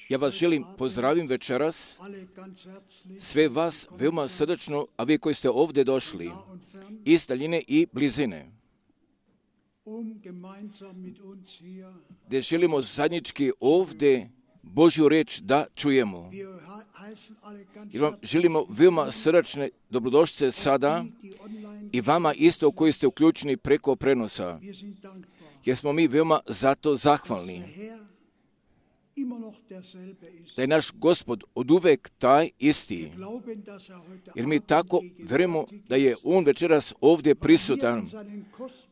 Ja vas želim pozdravim večeras, sve vas veoma srdačno, a vi koji ste ovdje došli, iz daljine i blizine, gdje želimo zajednički ovdje Božju riječ da čujemo. Jer vam želimo veoma srdačne dobrodošlice sada i vama isto koji ste uključeni preko prenosa, jer smo mi veoma zato zahvalni da je naš Gospod oduvek taj isti, jer mi tako vjerujemo da je On večeras ovdje prisutan,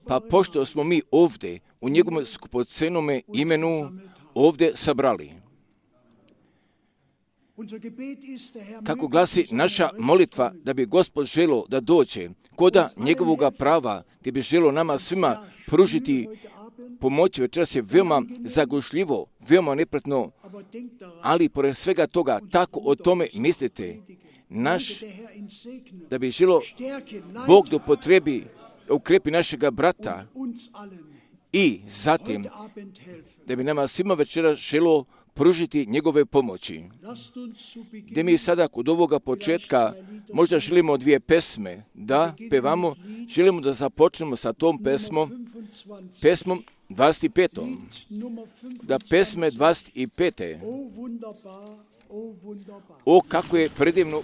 pa pošto smo mi ovdje u njegovom skupocenome imenu ovdje sabrali. Kako glasi naša molitva, da bi Gospod želo da dođe koda njegovoga prava, gdje bi želo nama svima pružiti pomoć, večeras je veoma zagušljivo, veoma nepretno, ali pored svega toga, tako o tome mislite, da bi želo Bog da upotrebi, ukrepi našega brata i zatim da bi nama svima večeras želo pružiti njegove pomoći. Gdje mi sada kod ovoga početka možda želimo dvije pesme da pevamo, želimo da započnemo sa tom pesmom 25. Da pesme 25. O, kako je predivno. Oh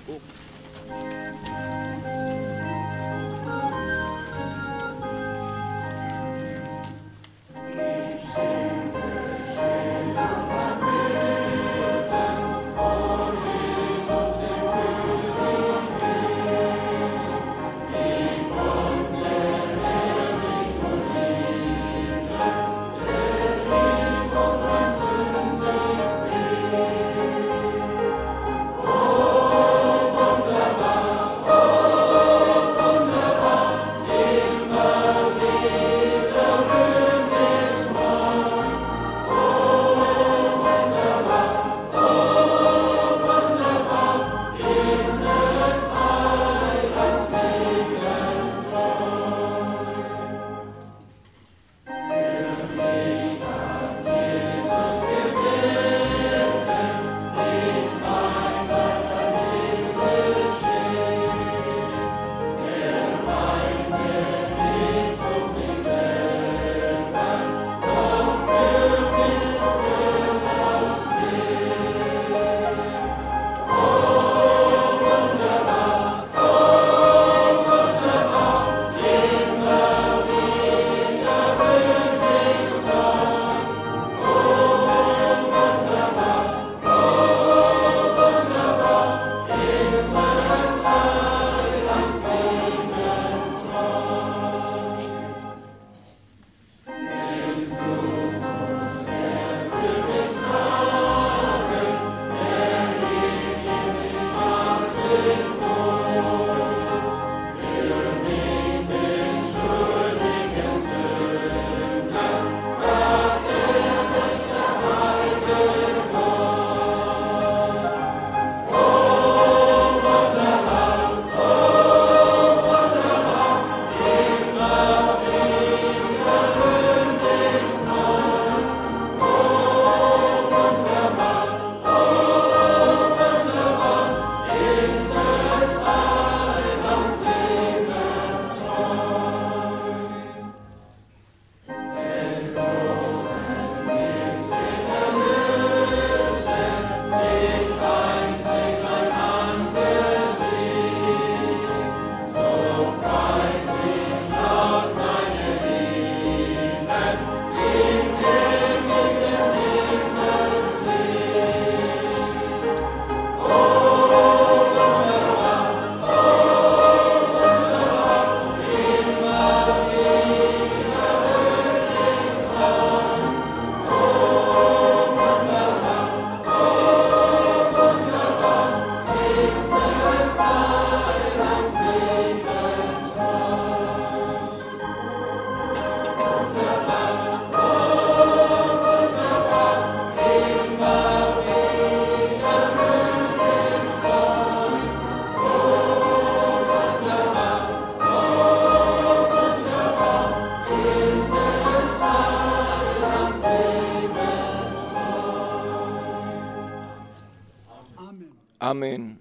Amen.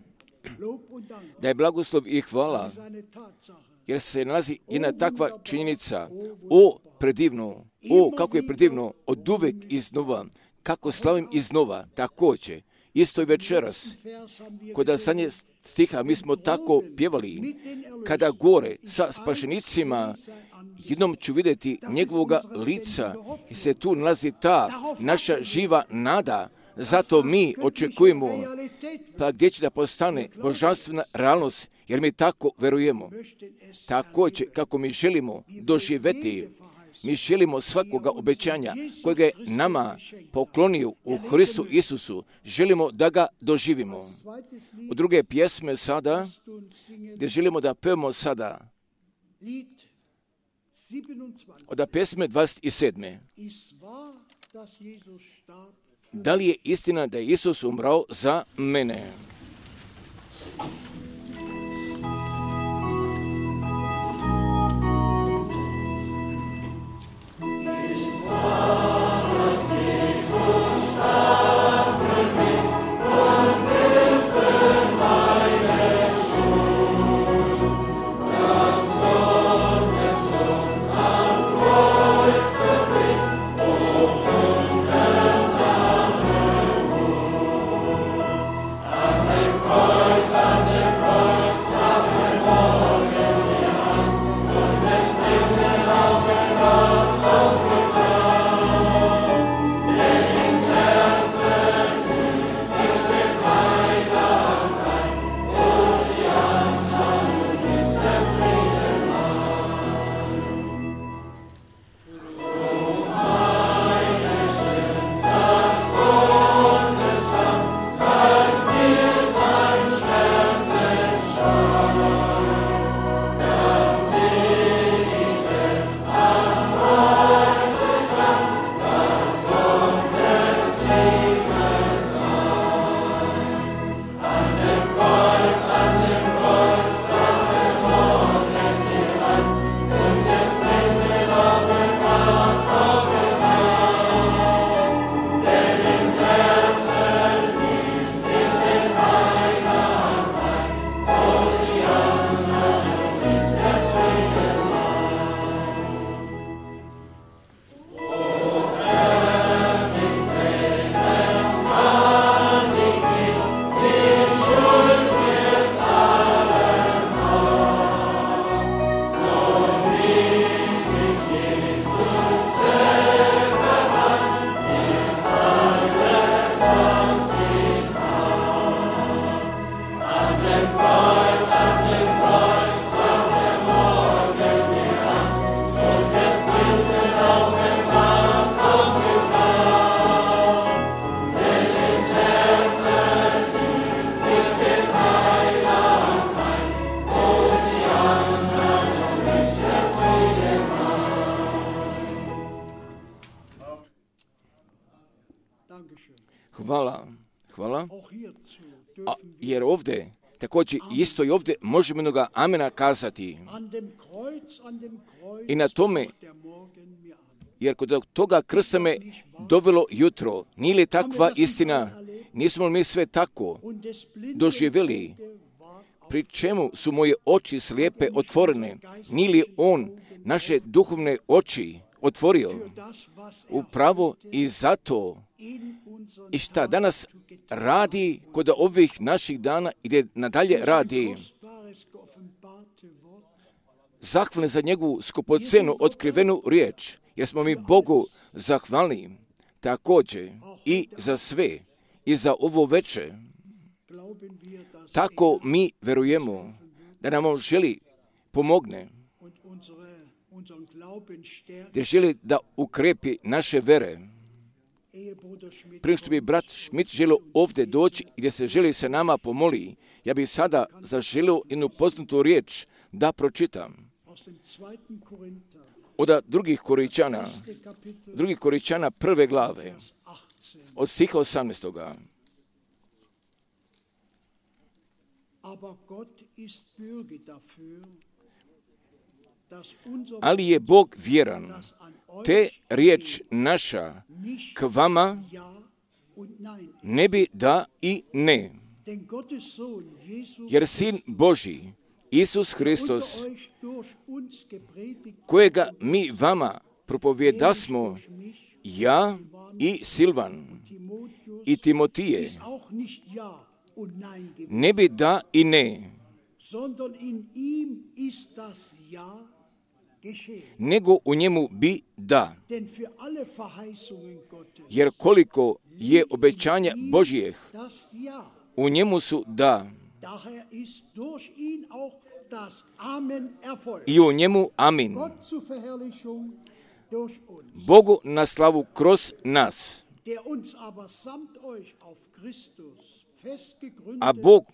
Da je blagoslov i hvala, jer se nalazi jedna takva činjenica. O, predivno, kako je predivno, od uvek iznova, kako slavim iznova, također, isto i večeras, kod zadnje stiha mi smo tako pjevali, kada gore sa spašenicima, jednom ću vidjeti njegovoga lica, i se tu nalazi ta naša živa nada. Zato mi očekujemo, pa gdje će da postane božanstvena realnost, jer mi tako verujemo. Također, kako mi želimo doživjeti, mi želimo svakoga obećanja kojega je nama poklonio u Hristu Isusu, želimo da ga doživimo. U druge pjesme sada, gdje želimo da pevamo sada, od pjesme 27. Da li je istina da je Isus umrao za mene? Hvala. Jer ovdje, također isto i ovdje možemo jednoga amena kazati. I na tome, jer kod toga krsta me dovelo jutro, nije li takva istina, nismo li mi sve tako doživjeli, pri čemu su moje oči slijepe otvorene, nije li on naše duhovne oči otvorio upravo i zato i šta danas radi kod ovih naših dana i gdje nadalje radi. Zahvalni za njegovu skupocenu otkrivenu riječ, jer smo mi Bogu zahvalni također i za sve i za ovo veče. Tako mi verujemo da nam on želi pomogne, da želi da ukrepi naše vere. Prije što bi brat Schmidt želio ovdje doći i gdje se želi se nama pomoli, ja bih sada zaželio jednu poznatu riječ da pročitam. Od drugih Koričana prve glave, od stiha 18. Ali je Bog vjeran, te riječ naša k vama ne bi da i ne. Jer Sin Božji, Isus Hristos, kojega mi vama propovjedasmo, ja i Silvan i Timotije, ne bi da i ne, nego u njemu bi da. Jer koliko je obećanja Božjih, u njemu su da. I u njemu amin. Bogu na slavu kroz nas. A Bog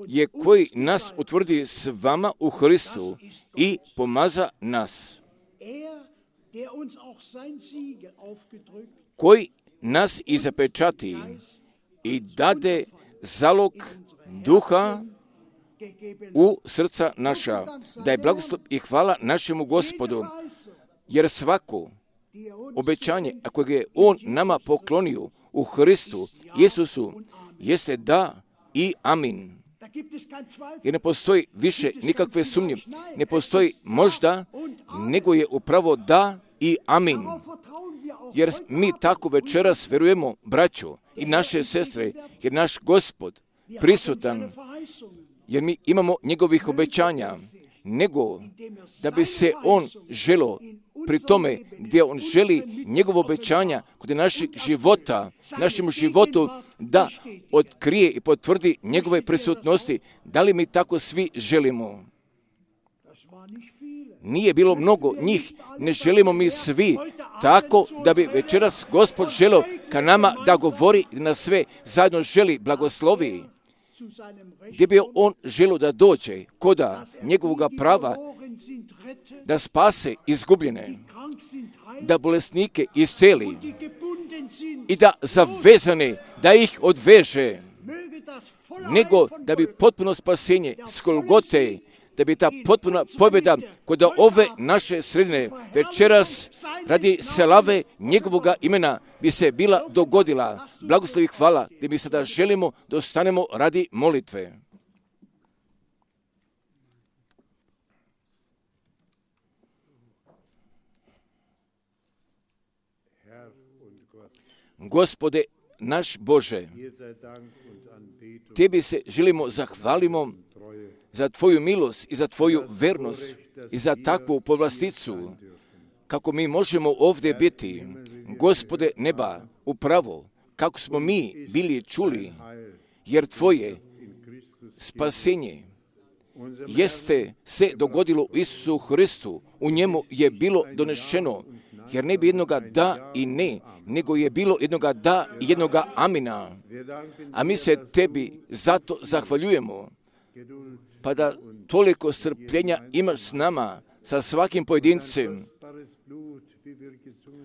je koji nas utvrdi s vama u Hristu i pomaza nas. Koji nas i zapečati i dade zalog duha u srca naša. Da je blagoslov i hvala našemu Gospodu, jer svako obećanje, ako ga je On nama poklonio u Hristu, Isusu, jeste da i amin. Jer ne postoji više nikakve sumnje, ne postoji možda, nego je upravo da i amin. Jer mi tako večeras verujemo, braćo i naše sestre, jer naš Gospod prisutan, jer mi imamo njegovih obećanja, nego da bi se On želo pri tome gdje On želi njegovo obećanja kod našeg života, našemu životu da otkrije i potvrdi njegove prisutnosti. Da li mi tako svi želimo? Nije bilo mnogo njih, ne želimo mi svi tako da bi večeras Gospod želio ka nama da govori i na sve zajedno želi blagoslovi. Gdje bi On želio da dođe koda njegovoga prava, da spase izgubljene, da bolesnike isceli i da zavezane, da ih odveže, nego da bi potpuno spasenje s Golgote, da bi ta potpuna pobjeda kod ove naše sredine večeras radi slave njegovoga imena bi se bila dogodila. Blagoslovi hvala, gdje mi sada želimo da ostanemo radi molitve. Gospode naš Bože, Tebi se želimo zahvalimo za Tvoju milost i za Tvoju vernost i za takvu povlasticu, kako mi možemo ovdje biti, Gospode neba, upravo kako smo mi bili čuli, jer Tvoje spasenje jeste se dogodilo u Isusu Hristu, u njemu je bilo donešeno, jer ne bi jednoga da i ne, nego je bilo jednoga da i jednoga amina. A mi se Tebi zato zahvaljujemo, pa da toliko strpljenja imaš s nama, sa svakim pojedincem.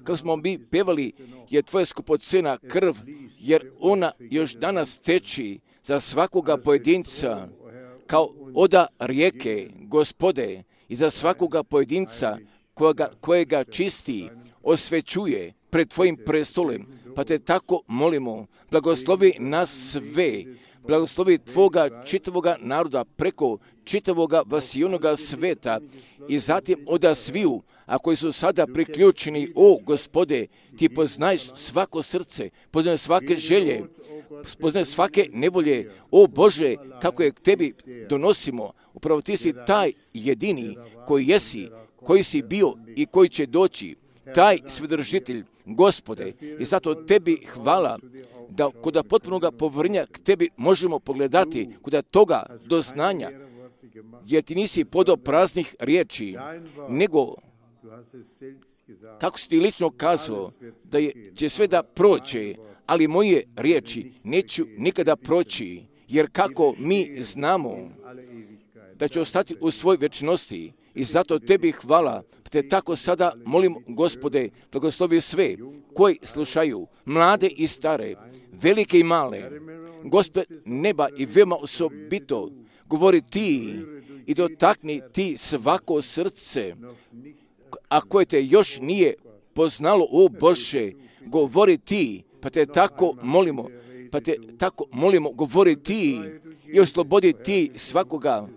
Kako smo mi pevali, je Tvoja skupocena krv, jer ona još danas teči za svakoga pojedinca, kao oda rijeke, Gospode, i za svakoga pojedinca kojega čisti, osvećuje pred Tvojim prestolem. Pa Te tako molimo, blagoslovi nas sve, blagoslovi Tvoga čitavoga naroda preko čitavoga vasijonoga sveta i zatim oda sviju, a koji su sada priključeni, o Gospode, Ti poznaješ svako srce, poznaješ svake želje, poznaješ svake nevolje, o Bože, kako je k Tebi donosimo, upravo Ti si taj jedini koji jesi, koji si bio i koji će doći, taj svedržitelj, Gospode, i zato Tebi hvala da kod potpunoga povrnja k Tebi možemo pogledati kod toga doznanja, jer Ti nisi podao praznih riječi, nego kako si Ti lično kazao da će sve da proći, ali moje riječi neću nikada proći, jer kako mi znamo da će ostati u svoj večnosti. I zato Tebi hvala, te tako sada molim, Gospode, blagoslovi sve koji slušaju, mlade i stare, velike i male. Gospod neba i veoma osobito govori Ti i dotakni Ti svako srce, a koje Te još nije poznalo, o Bože, govori Ti, pa Te tako molimo, Pa te tako molimo, govori ti i oslobodi ti svakoga,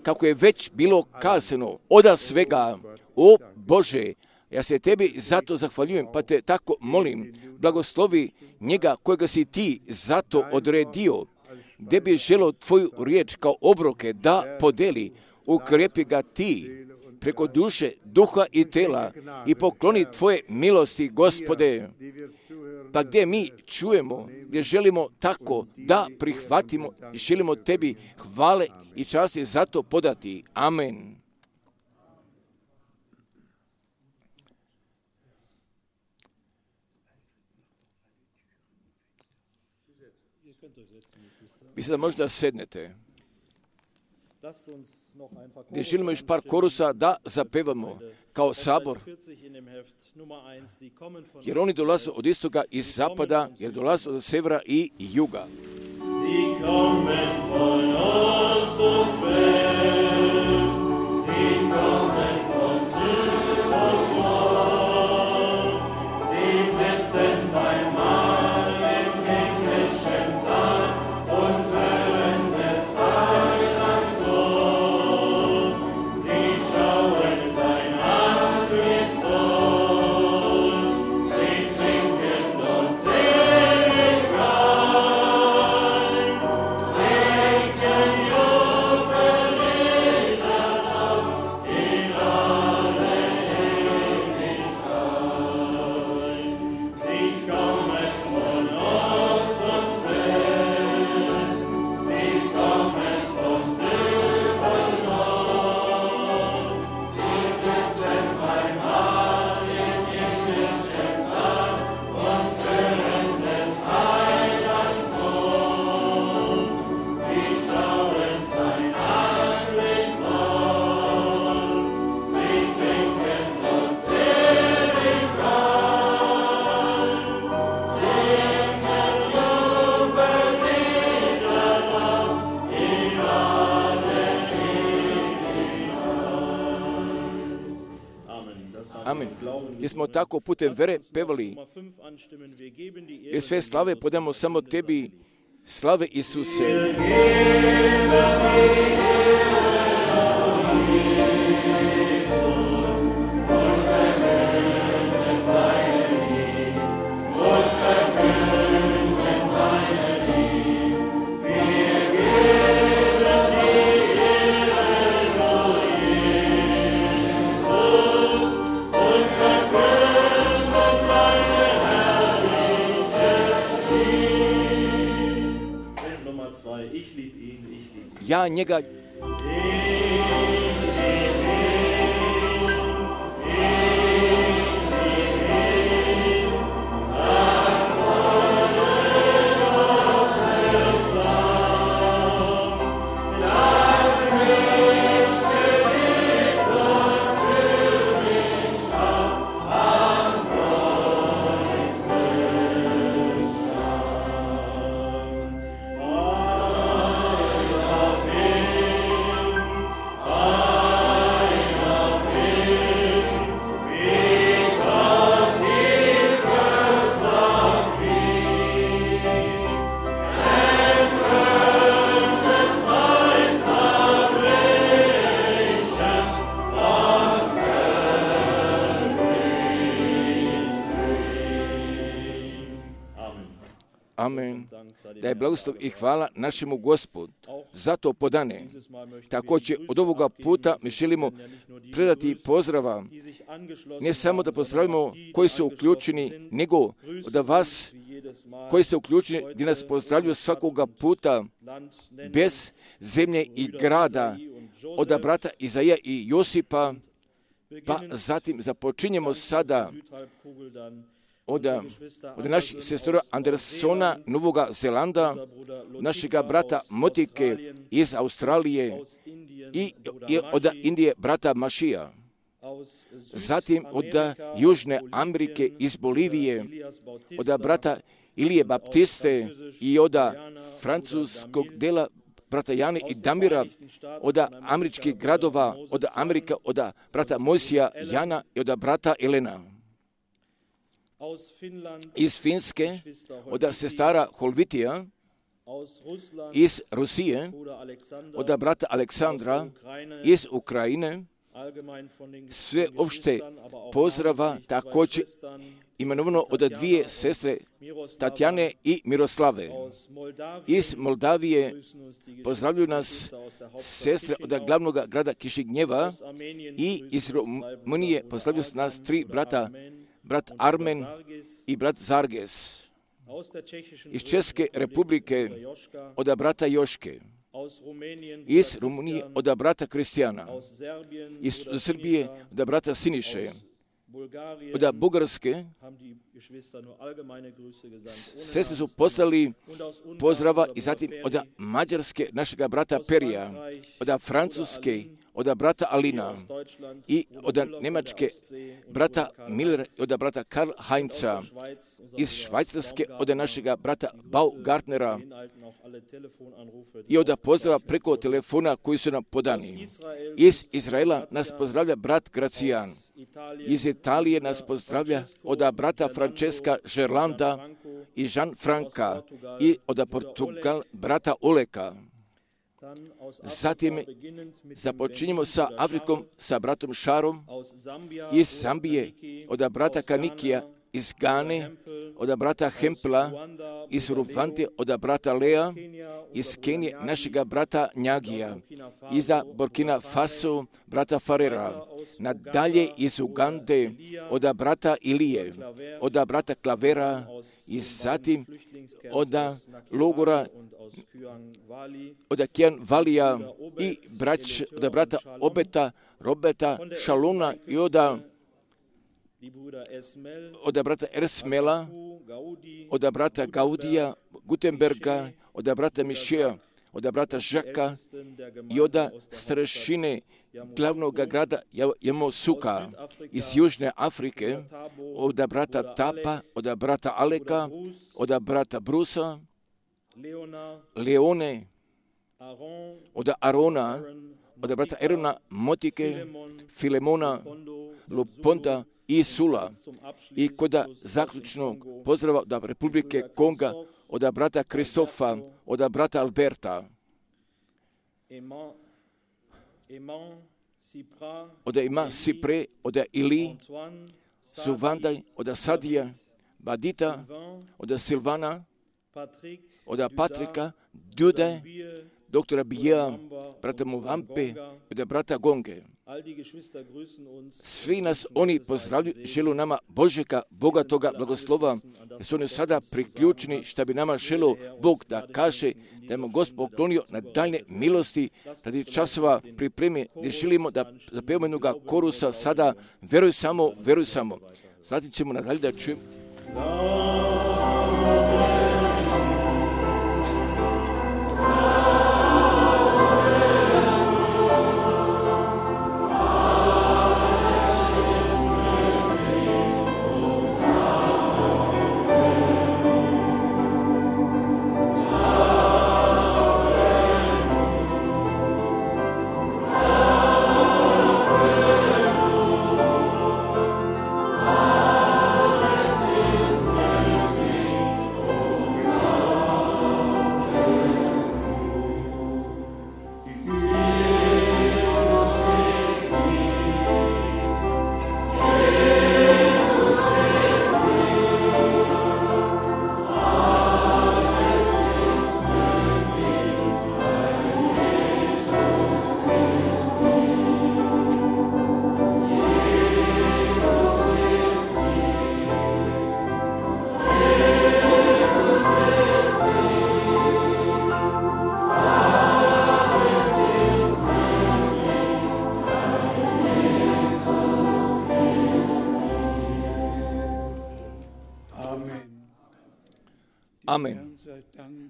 kako je već bilo kazano, oda svega, o Bože, ja se tebi zato zahvaljujem, pa te tako molim, blagoslovi njega kojega si ti zato odredio, gdje bi želo tvoju riječ kao obroke da podeli, ukrepi ga ti preko duše, duha i tela i pokloni tvoje milosti, Gospode, pa gdje mi čujemo, gdje želimo tako da prihvatimo, želimo tebi hvale i časti zato podati. Amen. Vi sada možda sednete, gdje želimo još par korusa da zapevamo kao sabor, jer oni dolaze od istoga i zapada, jer dolaze od severa i juga. Jer smo tako putem vere pevali, jer sve slave podamo samo tebi, slave Isuse. Ja njega Amen. Da je blagoslov i hvala našemu Gospodu. Zato podane. Također od ovoga puta mi želimo predati pozdrava. Ne samo da pozdravimo koji su uključeni, nego da vas koji ste uključeni, gdje nas pozdravljaju svakoga puta bez zemlje i grada, od brata Izaija i Josipa, pa zatim započinjemo sada od naših sestora Andersona, Novoga Zelanda, našega brata Motike iz Australije i od Indije brata Mašija. Zatim od Južne Amerike iz Bolivije, od brata Ilije Baptiste i od francuskog dela brata Jane i Damira, od američkih gradova, od Amerika, od brata Mojsija Jana i od brata Elena. iz Finske, od sestara Holvitija, iz Rusije, od brata Aleksandra, iz Ukrajine, sve opšte pozdrava također imenovano od dvije sestre Tatjane i Miroslave. Iz Moldavije pozdravljuju nas sestre od glavnog grada Kišignjeva i iz Rumunije pozdravljuju nas tri brata, brat Armen i brat Zarges. Iz České republike od brata Joške. Iz Rumunije od brata Kristijana. Iz Srbije od brata Siniše. Od Bugarske sestre su poslali pozdrava i zatim od Mađarske našega brata Perija, od Francuske od brata Alina i od Njemačke brata Miller, od brata Karl Heinza, iz Švajcarske od našega brata Baugartnera i od pozdrava preko telefona koji su nam podani. Iz Izraela nas pozdravlja brat Gracijan. Iz Italije nas pozdravlja od brata Francesca Gerlanda i Jean Franka i od Portugal brata Oleka. Zatim započinjemo sa Afrikom, sa bratom Šarom, iz Zambije, od brata Kanikija, iz Gane, od brata Hempla, iz Rwande, od brata Lea, iz Kenije, našega brata Njagija, iz Burkina Faso, brata Farera, nadalje iz Ugande, od brata Ilije, od brata Klavera, i zatim od logora od Kian Valija i od brata Obeta, Roberta, Šaluna i od brata Ersmela, od brata Gaudija, Gutenberga, od brata Mišeja, od brata Žaka i od starešine glavnog grada Jamosuka iz Južne Afrike, od brata Tapa, od brata Aleka, od brata Brusa, Leone, od Arona, od brata Erona, Motike, Filemona, Luponda i Sula. I kod zaključnog pozdrava od Republike Konga, od brata Kristofa, od brata Alberta, od Ima Sipre, od Ili, Suvandaj, od Sadija, Badita, od Silvana, od Patrika, Dude, doktora Bija, brata Muvampe, od brata Gonge. Svi nas oni pozdravljaju, želu nama Božega, bogatoga blagoslova, jer su oni sada priključeni, šta bi nama želo Bog da kaže, da je Gospod poklonio na daljne milosti, radi časova pripremi, gdje želimo da zapevamo jednoga korusa sada, veruj samo. Zatim ćemo nadalje da čujemo. Amen.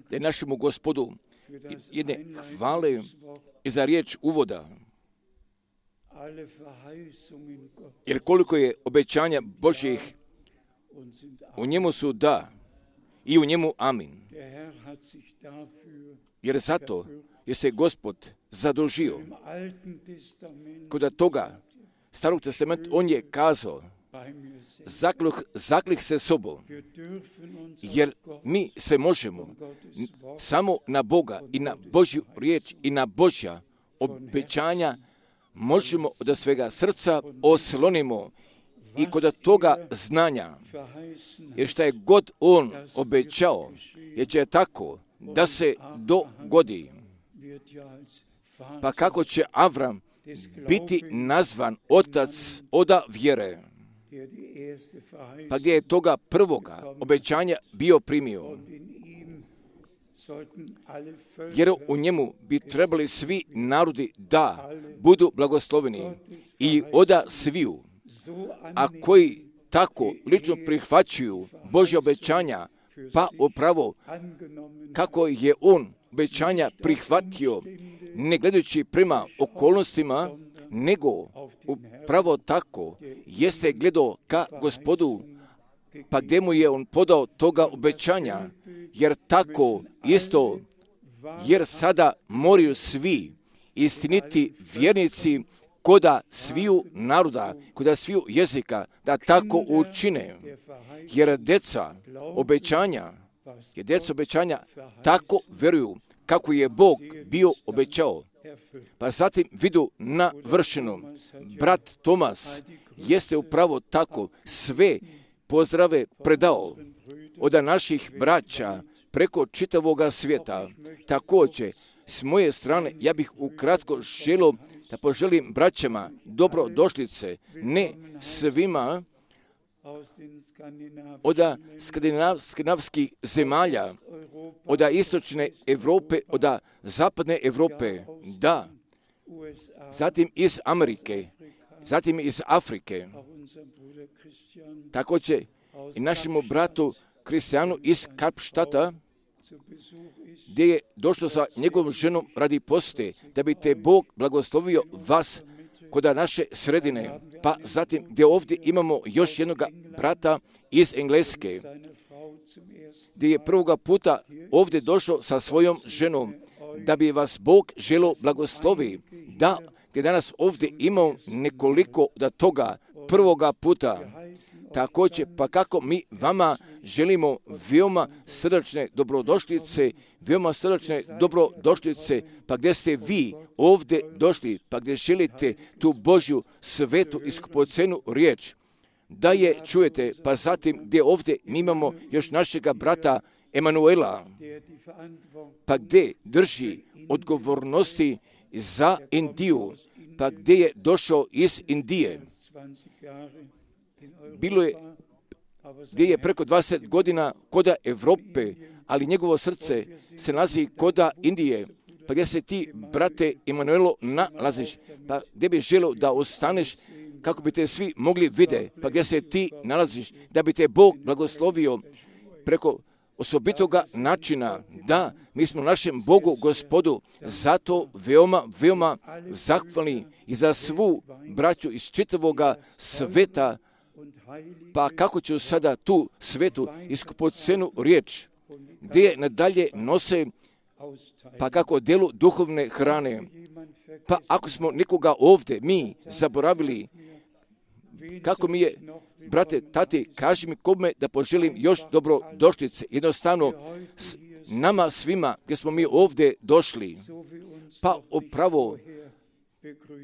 Da našemu Gospodu jedne hvale i za riječ uvoda. Jer koliko je obećanja Božjih, u njemu su da i u njemu amin. Jer zato je se Gospod zadužio. Kod toga Starog testamenta on je kazao, zaklih se sobom, jer mi se možemo samo na Boga i na Božju riječ i na Božja obećanja možemo od svega srca oslonimo i kod toga znanja, jer šta je god on obećao, jer će tako da se dogodi. Pa kako će Avram biti nazvan otac oda vjere? Pa gdje je toga prvoga obećanja bio primio? Jer u njemu bi trebali svi narodi da budu blagosloveni i oda sviju, a koji tako lično prihvaćuju Božja obećanja, pa upravo kako je on obećanja prihvatio, ne gledajući prema okolnostima, nego upravo tako jeste gledao ka Gospodu, pa gdje mu je on podao toga obećanja, jer tako isto, jer sada moraju svi istiniti vjernici koda sviju naroda, koda sviju jezika, da tako učine, jer djeca obećanja tako vjeruju kako je Bog bio obećao. Pa zatim vidu navršeno. Brat Tomas jeste upravo tako sve pozdrave predao od naših braća preko čitavoga svijeta. Također, s moje strane, ja bih ukratko želio da poželim braćama dobrodošlice, ne svima od skandinavskih zemalja, od istočne Europe, od zapadne Europe, da, zatim iz Amerike, zatim iz Afrike. Također i našemu bratu Kristijanu iz Kapštata, gdje je došlo sa njegovom ženom radi poste, da bi te Bog blagoslovio vas kod naše sredine. Pa zatim gdje ovdje imamo još jednog brata iz Engleske, gdje je prvoga puta ovdje došao sa svojom ženom, da bi vas Bog želio blagoslovi, da gdje danas ovdje imamo nekoliko da toga prvoga puta. Također, pa kako mi vama želimo veoma srdačne dobrodošlice, pa gdje ste vi ovdje došli, pa gdje želite tu Božju svetu i skupocenu riječ, da je čujete, pa zatim gdje ovdje mi imamo još našega brata Emanuela, pa gdje drži odgovornosti za Indiju, pa gdje je došao iz Indije. Bilo je, gdje je preko 20 godina koda Evrope, ali njegovo srce se nalazi koda Indije. Pa gdje se ti, brate Emanuelo, nalaziš? Pa gdje bi želio da ostaneš kako bi te svi mogli vide? Pa gdje se ti nalaziš? Da bi te Bog blagoslovio preko osobitoga načina. Da, mi smo našem Bogu, Gospodu, zato veoma zahvalni i za svu braću iz čitavoga sveta. Pa kako ću sada tu svetu i skupocenu riječ, gdje je nadalje nose, pa kako delu duhovne hrane. Pa ako smo nekoga ovdje, mi zaboravili, kako mi je, brate, tati, kaži mi kome da poželim još dobrodošlice. Jednostavno, nama svima, gdje smo mi ovdje došli, pa upravo,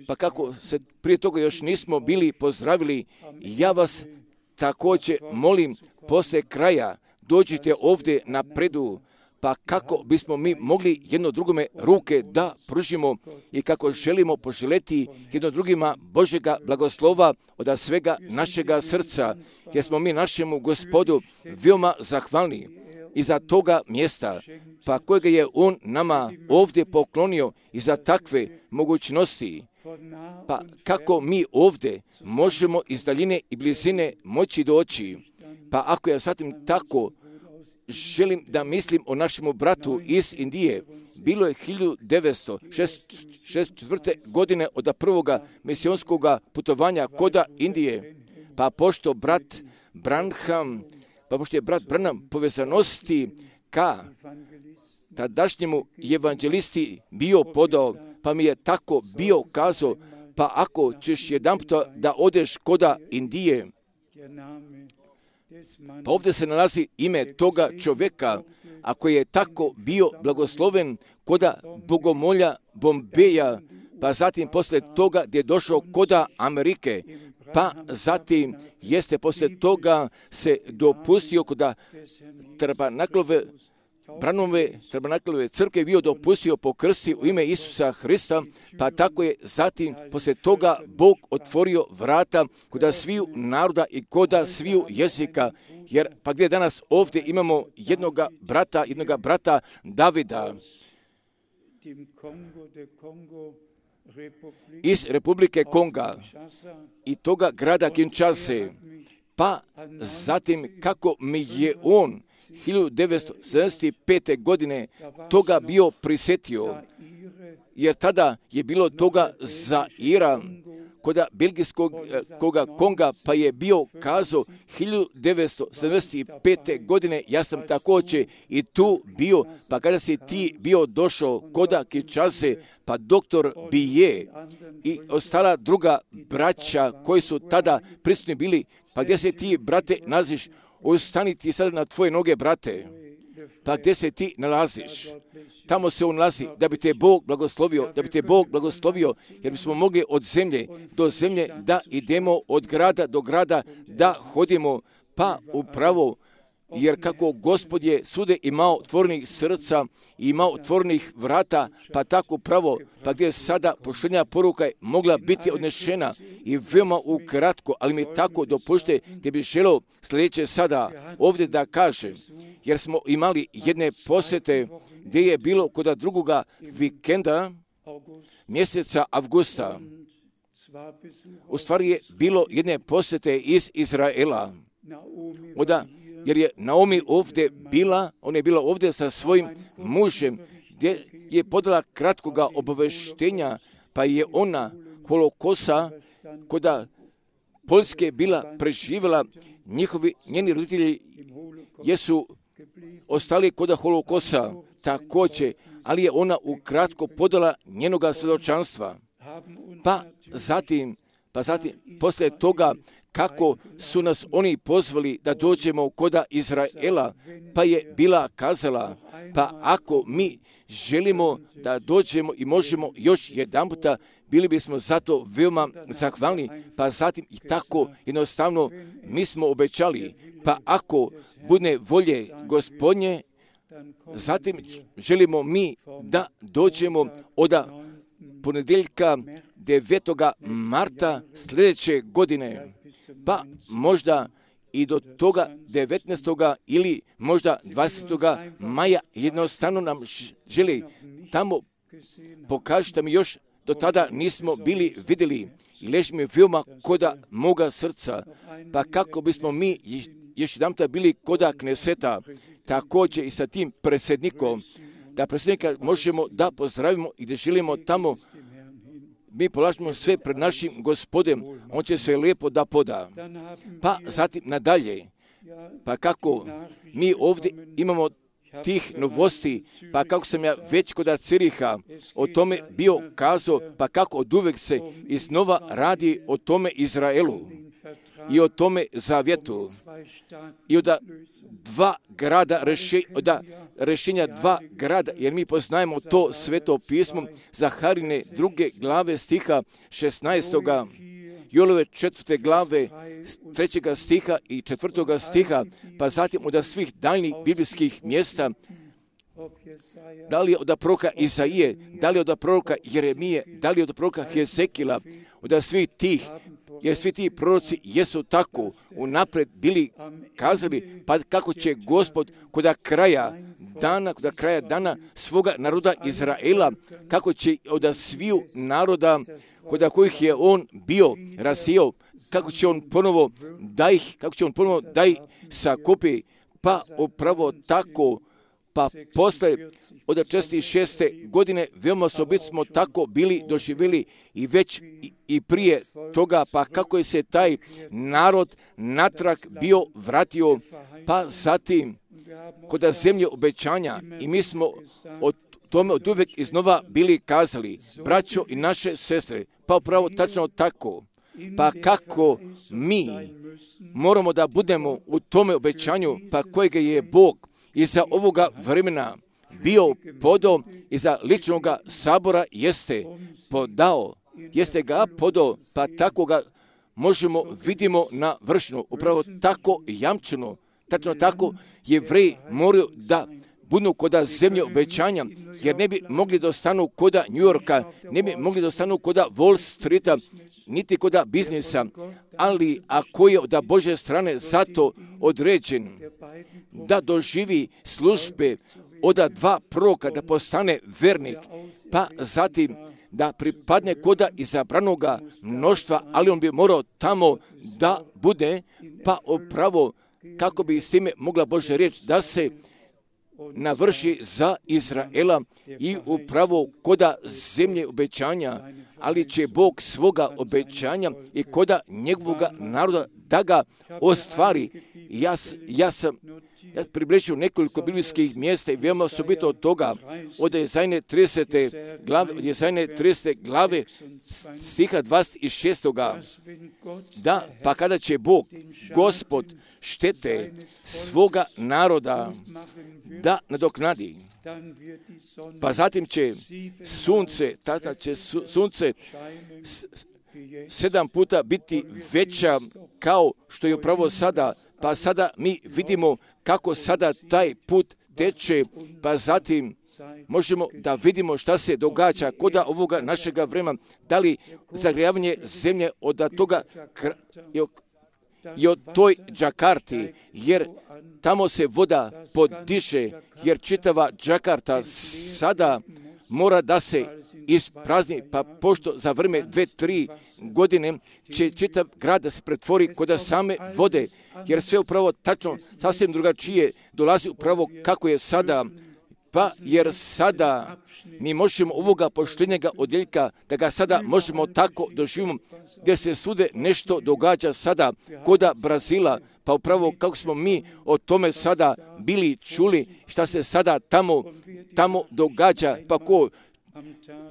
pa kako se prije toga još nismo bili pozdravili, ja vas također molim, poslije kraja dođite ovdje napredu, pa kako bismo mi mogli jedno drugome ruke da pružimo i kako želimo poželjeti jedno drugima Božjega blagoslova od svega našega srca, jer smo mi našemu Gospodu veoma zahvalni i za toga mjesta, pa kojega je on nama ovdje poklonio i za takve mogućnosti. Pa kako mi ovdje možemo iz daljine i blizine moći doći, pa ako ja zatim tako želim da mislim o našemu bratu iz Indije, bilo je 1964. godine od prvoga misionskog putovanja koda Indije, pa pošto je brat Branham povezanosti ka tadašnjemu evangelisti bio podao, pa mi je tako bio kazao, pa ako ćeš jedanputa da odeš koda Indije, Pa ovdje se nalazi ime toga čovjeka, a koji je tako bio blagosloven koda bogomolja Bombeja, pa zatim poslije toga gdje je došao koda Amerike, pa zatim jeste poslije toga se dopustio koda Tabernaklove crkve bio dopustio pokrsti u ime Isusa Hrista, pa tako je zatim poslije toga Bog otvorio vrata koda sviju naroda i koda sviju jezika, jer pa gdje danas ovdje imamo jednoga brata Davida iz Republike Konga i toga grada Kinshase, pa zatim kako mi je on 1975. godine toga bio prisjetio, jer tada je bilo toga Zaira, koda belgijskog Konga, pa je bio kazao 1975. godine, ja sam također i tu bio, pa kada si ti bio došao koda Kinshase, pa doktor Bije i ostala druga braća koji su tada prisutni bili, pa gdje se ti, brate, naziš, ostani ti sada na tvoje noge, brate, pa gdje se ti nalaziš? Tamo se on nalazi da bi te Bog blagoslovio, jer bismo mogli od zemlje do zemlje da idemo, od grada do grada da hodimo, pa upravo, jer kako Gospod je svude imao otvorenih srca i imao otvorenih vrata, pa tako pravo, pa gdje sada poštenja poruka je mogla biti odnešena i veoma ukratko, ali mi tako dopušte gdje bi želeo sljedeće sada ovdje da kažem, jer smo imali jedne posjete gdje je bilo kod drugoga vikenda mjeseca avgusta. U stvari je bilo jedne posjete iz Izraela. Jer je Naomi ovdje bila, ona je bila ovdje sa svojim mužem, gdje je podala kratkoga obaveštenja, pa je ona holokosa koda Poljske bila preživjela, njeni roditelji jesu ostali koda holokosa također, ali je ona ukratko podala njenoga svjedočanstva. Pa zatim, poslije toga, kako su nas oni pozvali da dođemo koda Izraela, pa je bila kazala, pa ako mi želimo da dođemo i možemo još jedanputa, bili bismo zato veoma zahvalni, pa zatim i tako jednostavno mi smo obećali, pa ako bude volje Gospodnje, zatim želimo mi da dođemo od ponedjeljka 9. marta sljedeće godine, pa možda i do toga 19. ili možda 20. maja jednostavno nam želi tamo pokažite mi još do tada nismo bili vidjeli i leži mi veoma koda moga srca, pa kako bismo mi još jedan bili koda Kneseta, također i sa tim predsjednikom, da predsjednika možemo da pozdravimo i da želimo tamo, mi polažemo sve pred našim Gospodem, on će sve lijepo da poda. Pa zatim nadalje, pa kako mi ovdje imamo tih novosti, pa kako sam ja već kod Ciriha o tome bio kazao, pa kako od uvek se iznova radi o tome Izraelu i o tome zavjetu i od rješenja dva grada, jer mi poznajemo to sveto pismo Zaharine 2. glave stiha 16. Jolove 4. glave 3. stiha i 4. stiha, pa zatim od svih daljnjih biblijskih mjesta, da li od proroka Izaije, da li od proroka Jeremije, da li od proroka Hezekila, od svih tih, jer svi ti proroci jesu tako unaprijed bili kazali, pa kako će Gospod kod kraja dana svoga naroda Izraela, kako će od sviju naroda kod kojih je on bio rasijao, kako će on ponovo da ih sakupi, pa upravo tako, pa posle od 46. godine veoma smo tako bili doživjeli i već i prije toga, pa kako je se taj narod natrag bio vratio, pa zatim kod zemlje obećanja, i mi smo od tome od uvek iznova bili kazali, braćo i naše sestre, pa upravo tačno tako, pa kako mi moramo da budemo u tome obećanju, pa kojega je Bog iza ovoga vremena bio podao, iza ličnoga sabora jeste podao, jeste ga podao, pa tako ga možemo, vidimo na vršnu, upravo tako jamčeno, tačno tako Jevreji moraju da budu koda zemlje obećanja, jer ne bi mogli da ostanu koda New Yorka, ne bi mogli da ostanu koda Wall Streeta, niti koda biznisa, ali ako je od Božje strane zato određen da doživi službe od dva proroka, da postane vernik, pa zatim da pripadne koda izabranoga mnoštva, ali on bi morao tamo da bude, pa upravo kako bi s time mogla Božja riječ da se navrši za Izraela i upravo koda zemlje obećanja, ali će Bog svoga obećanja i koda njegovoga naroda da ga ostvari. Ja približio nekoliko biblijskih mjesta i veoma osobito od toga, od Jezajne 30. glave, stiha 26. Da, pa kada će Bog, Gospod, štete svoga naroda da nadoknadi, pa zatim će sunce 7 puta biti veća kao što je upravo sada, pa sada mi vidimo kako sada taj put teče, pa zatim možemo da vidimo šta se događa koda ovoga našega vremena, da li zagrijavanje zemlje od toga i od toj Džakarti, jer tamo se voda podiše, jer čitava Džakarta sada mora da se isprazni, pa pošto za vreme 2-3 godine će čitav grad da se pretvori kod same vode, jer sve upravo tačno sasvim drugačije dolazi upravo kako je sada, pa jer sada mi možemo ovoga poštenjega odjeljka, da ga sada možemo tako doživimo, gdje se svude nešto događa sada koda Brazila, pa upravo kako smo mi o tome sada bili čuli, šta se sada tamo događa, pa ko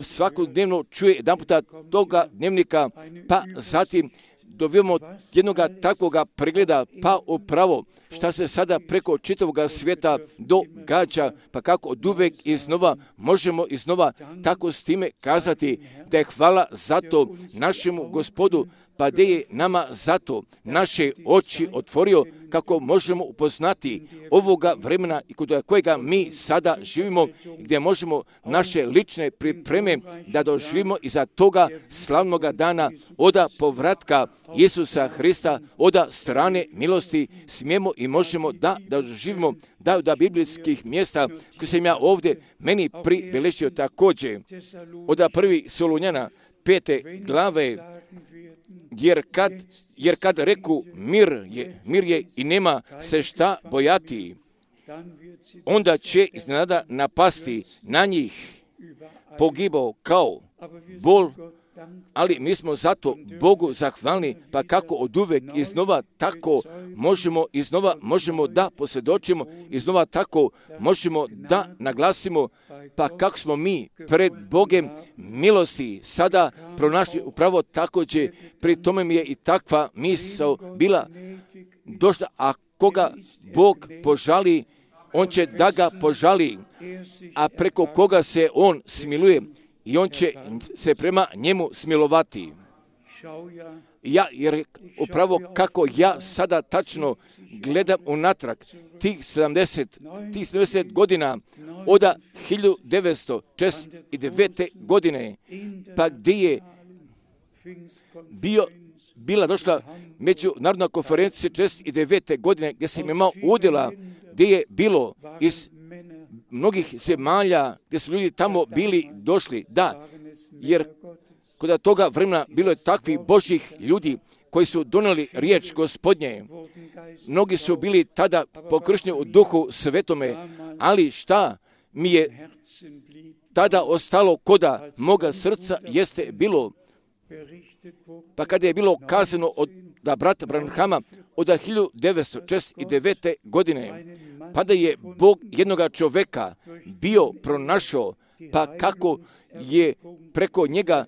svakodnevno čuje jedan puta toga dnevnika, pa zatim dobijemo jednoga takvoga pregleda, pa upravo šta se sada preko čitavoga svijeta događa, pa kako od uvek iznova možemo iznova tako s time kazati da je hvala zato našemu Gospodu, pa da je nama zato naše oči otvorio kako možemo upoznati ovoga vremena i kod kojega mi sada živimo, gdje možemo naše lične pripreme da doživimo iza toga slavnoga dana oda povratka Isusa Hrista, oda strane milosti smijemo i možemo da doživimo da biblijskih mjesta koje sam ja ovdje meni pribeležio također oda 1. Solunjana 5. glave, jer kad reku mir je i nema se šta bojati, onda će iznenada napasti na njih pogibao kao bol, ali mi smo zato Bogu zahvalni, pa kako od uvek iznova tako možemo da posvjedočimo, iznova tako možemo da naglasimo, pa kako smo mi pred Bogem milosti sada pronašli upravo također, pri tome mi je i takva misao bila došla, a koga Bog požali, on će da ga požali, a preko koga se on smiluje, i on će se prema njemu smilovati. Jer upravo kako ja sada tačno gledam unatrag tih 70 godina od 1949. godine, pa gdje je bila došla međunarodna konferencija 1949. godine, gdje sam imao udjela, gdje je bilo iz mnogih zemalja, gdje su ljudi tamo bili došli, da, jer kod toga vremena bilo je takvih Božjih ljudi koji su donijeli riječ Gospodnje. Mnogi su bili tada pokršteni u Duhu Svetome, ali šta mi je tada ostalo koda moga srca jeste bilo, pa kada je bilo kazano od brata Branhama od 1949. godine, pa da je Bog jednoga čoveka bio pronašao, pa kako je preko njega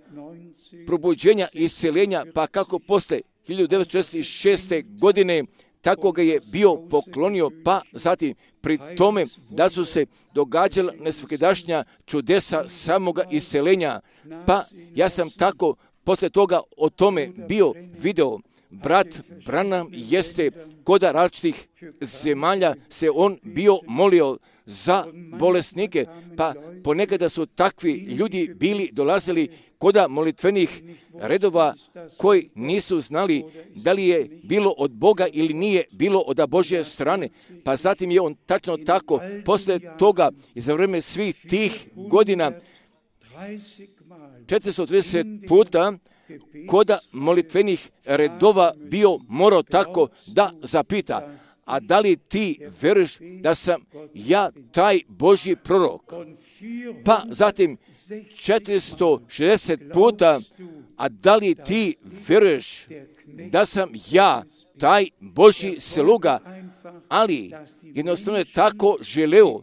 probuđenja i isceljenja, pa kako posle 1946. godine tako ga je bio poklonio, pa zatim pri tome da su se događala nesvakidašnja čudesa samoga isceljenja, pa ja sam tako posle toga o tome bio video. Brat Branham jeste kod različitih zemalja se on bio molio za bolesnike, pa ponekada su takvi ljudi bili dolazili kod molitvenih redova koji nisu znali da li je bilo od Boga ili nije bilo od Božje strane. Pa zatim je on tačno tako posle toga i za vreme svih tih godina 430 puta kod molitvenih redova bio morao tako da zapita: a da li ti veruješ da sam ja taj Božji prorok? Pa zatim 460 puta: a da li ti veruješ da sam ja taj Božji sluga? Ali jednostavno je tako želeo,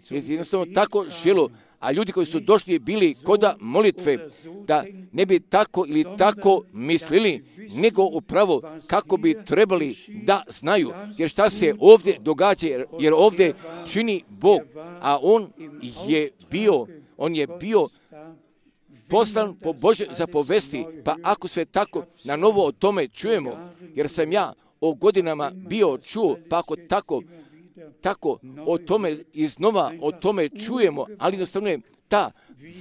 a ljudi koji su došli bili kod molitve da ne bi tako ili tako mislili, nego upravo kako bi trebali da znaju. Jer šta se ovdje događa, jer ovdje čini Bog, a on je bio poslan po Božje zapovesti. Pa ako sve tako na novo o tome čujemo, jer sam ja o godinama bio čuo, pa ako tako o tome iznova o tome čujemo, ali jednostavno je ta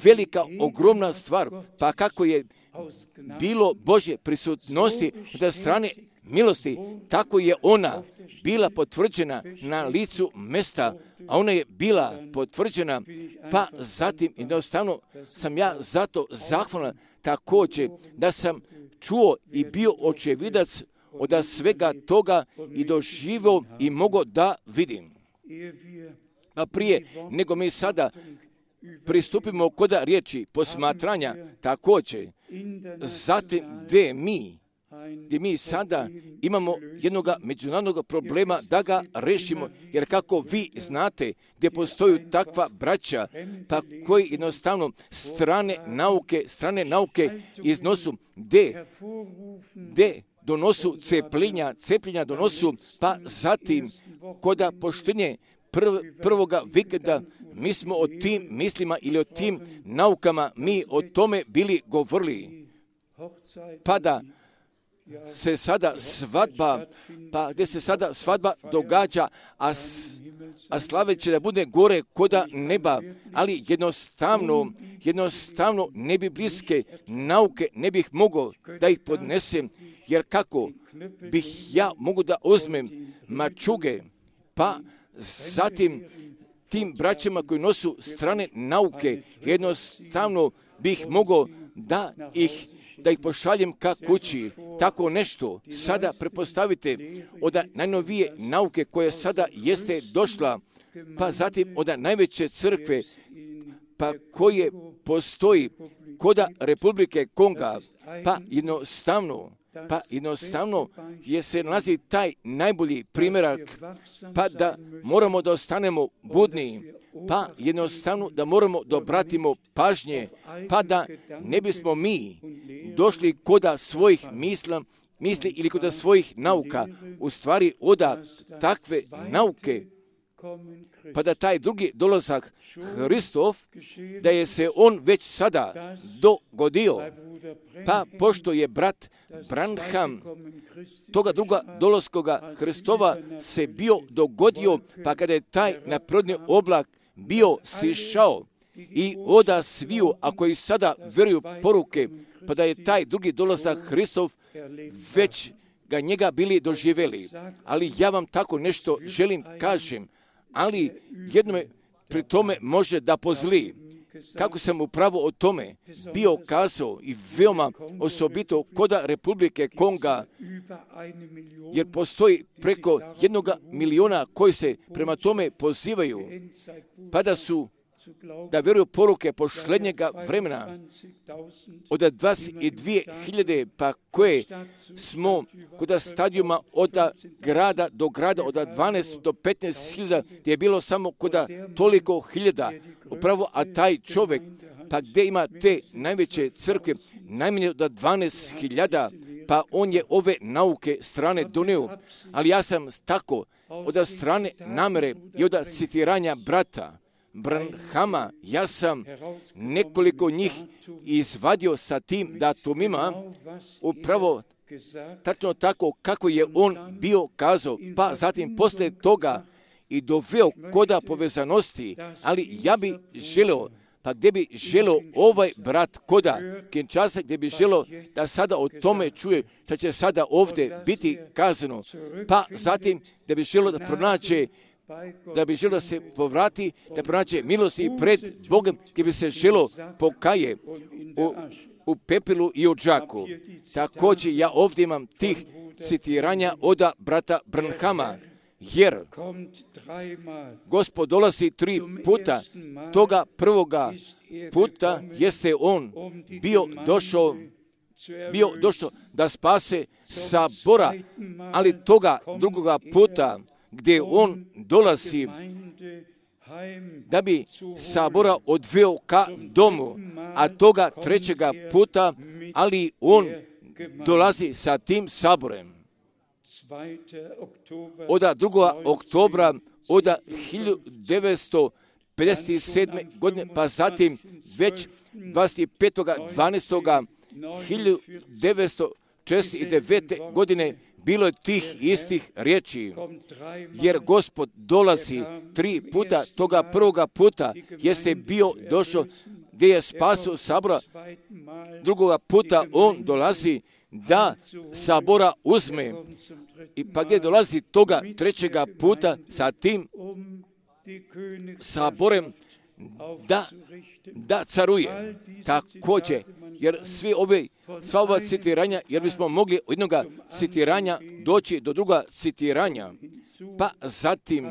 velika, ogromna stvar, pa kako je bilo Božje prisutnosti od strane milosti, tako je ona bila potvrđena na licu mesta, a ona je bila potvrđena, pa zatim jednostavno sam ja zato zahvalan također da sam čuo i bio očevidac od svega toga i doživio i mogo da vidim. A prije nego mi sada pristupimo kod riječi posmatranja također, zatim gdje mi sada imamo jednog međunarodnog problema da ga rešimo, jer kako vi znate gdje postoju takva braća, pa koji jednostavno strane nauke iznosu, gdje donosu cepljenja donosu, pa zatim kod poštenje prvoga vikenda mi smo o tim mislima ili o tim naukama mi o tome bili govorili. Pa da se sada gdje se sada svadba događa, a slave će da bude gore koda neba, ali jednostavno ne bi bliske nauke ne bih mogao da ih podnesem, jer kako bih ja mogu da uzmem mačuge, pa zatim tim braćama koji nosu strane nauke, jednostavno bih mogao da ih pošaljem ka kući. Tako nešto sada prepostavite od najnovije nauke koja sada jeste došla, pa zatim od najveće crkve, pa koje postoji kod Republike Konga, pa jednostavno je se nalazi taj najbolji primjerak, pa da moramo da ostanemo budni, pa jednostavno da moramo da obratimo pažnje, pa da ne bismo mi došli koda svojih misli ili koda svojih nauka, u stvari oda takve nauke, pa da taj drugi dolazak Hristov, da je se on već sada dogodio, pa pošto je brat Branham toga druga dolaskoga Hristova se bio dogodio, pa kada je taj naprodni oblak bio sišao i oda sviju, a koji sada veruju poruke, pa da je taj drugi dolazak Hristov već ga njega bili doživjeli. Ali ja vam tako nešto želim kažem, ali jedno me pri tome može da pozli. Kako sam upravo o tome bio kazao i veoma osobito kod Republike Konga, jer postoji preko 1 miliona koji se prema tome pozivaju, pa da vjeruju poruke posljednjega vremena od 22.000, pa koje smo kod stadijuma od grada do grada, od 12 do 15.000, gdje je bilo samo kod toliko hiljada. Upravo, a taj čovjek pa gdje ima te najveće crkve, najmanje od 12.000, pa on je ove nauke strane donio, ali ja sam tako od strane namere i od citiranja brata Branhama, ja sam nekoliko njih izvadio sa tim datumima, upravo tačno tako kako je on bio kazao, pa zatim poslije toga i doveo koda povezanosti, ali ja bi želeo, pa gdje bi želeo ovaj brat koda Kinshasa, gdje bi želeo da sada o tome čuje što će sada ovdje biti kazano, pa zatim gdje bi želeo da pronađe, da bi želeo da se povrati, da pronađe milost i pred Bogom, gdje bi se želeo pokaje u pepilu i u džaku. Također ja ovdje imam tih citiranja od brata Branhama, jer Gospod dolazi 3 puta. Toga prvoga puta jeste on bio došao da spase sabora, ali toga drugoga puta gdje on dolazi da bi sabora odveo ka domu, a toga 3. puta, ali on dolazi sa tim saborem. Od 2. oktobra od 1957. godine, pa zatim već 25.12.1949. godine bilo je tih istih riječi, jer Gospod dolazi 3 puta, toga prvoga puta jeste bio došao gdje je spasio sabora, drugoga puta on dolazi da sabora uzme, i pa gdje dolazi toga 3. puta sa tim saborem da caruje. Također, jer sva ova citiranja, jer bismo mogli od jednoga citiranja doći do druga citiranja, pa zatim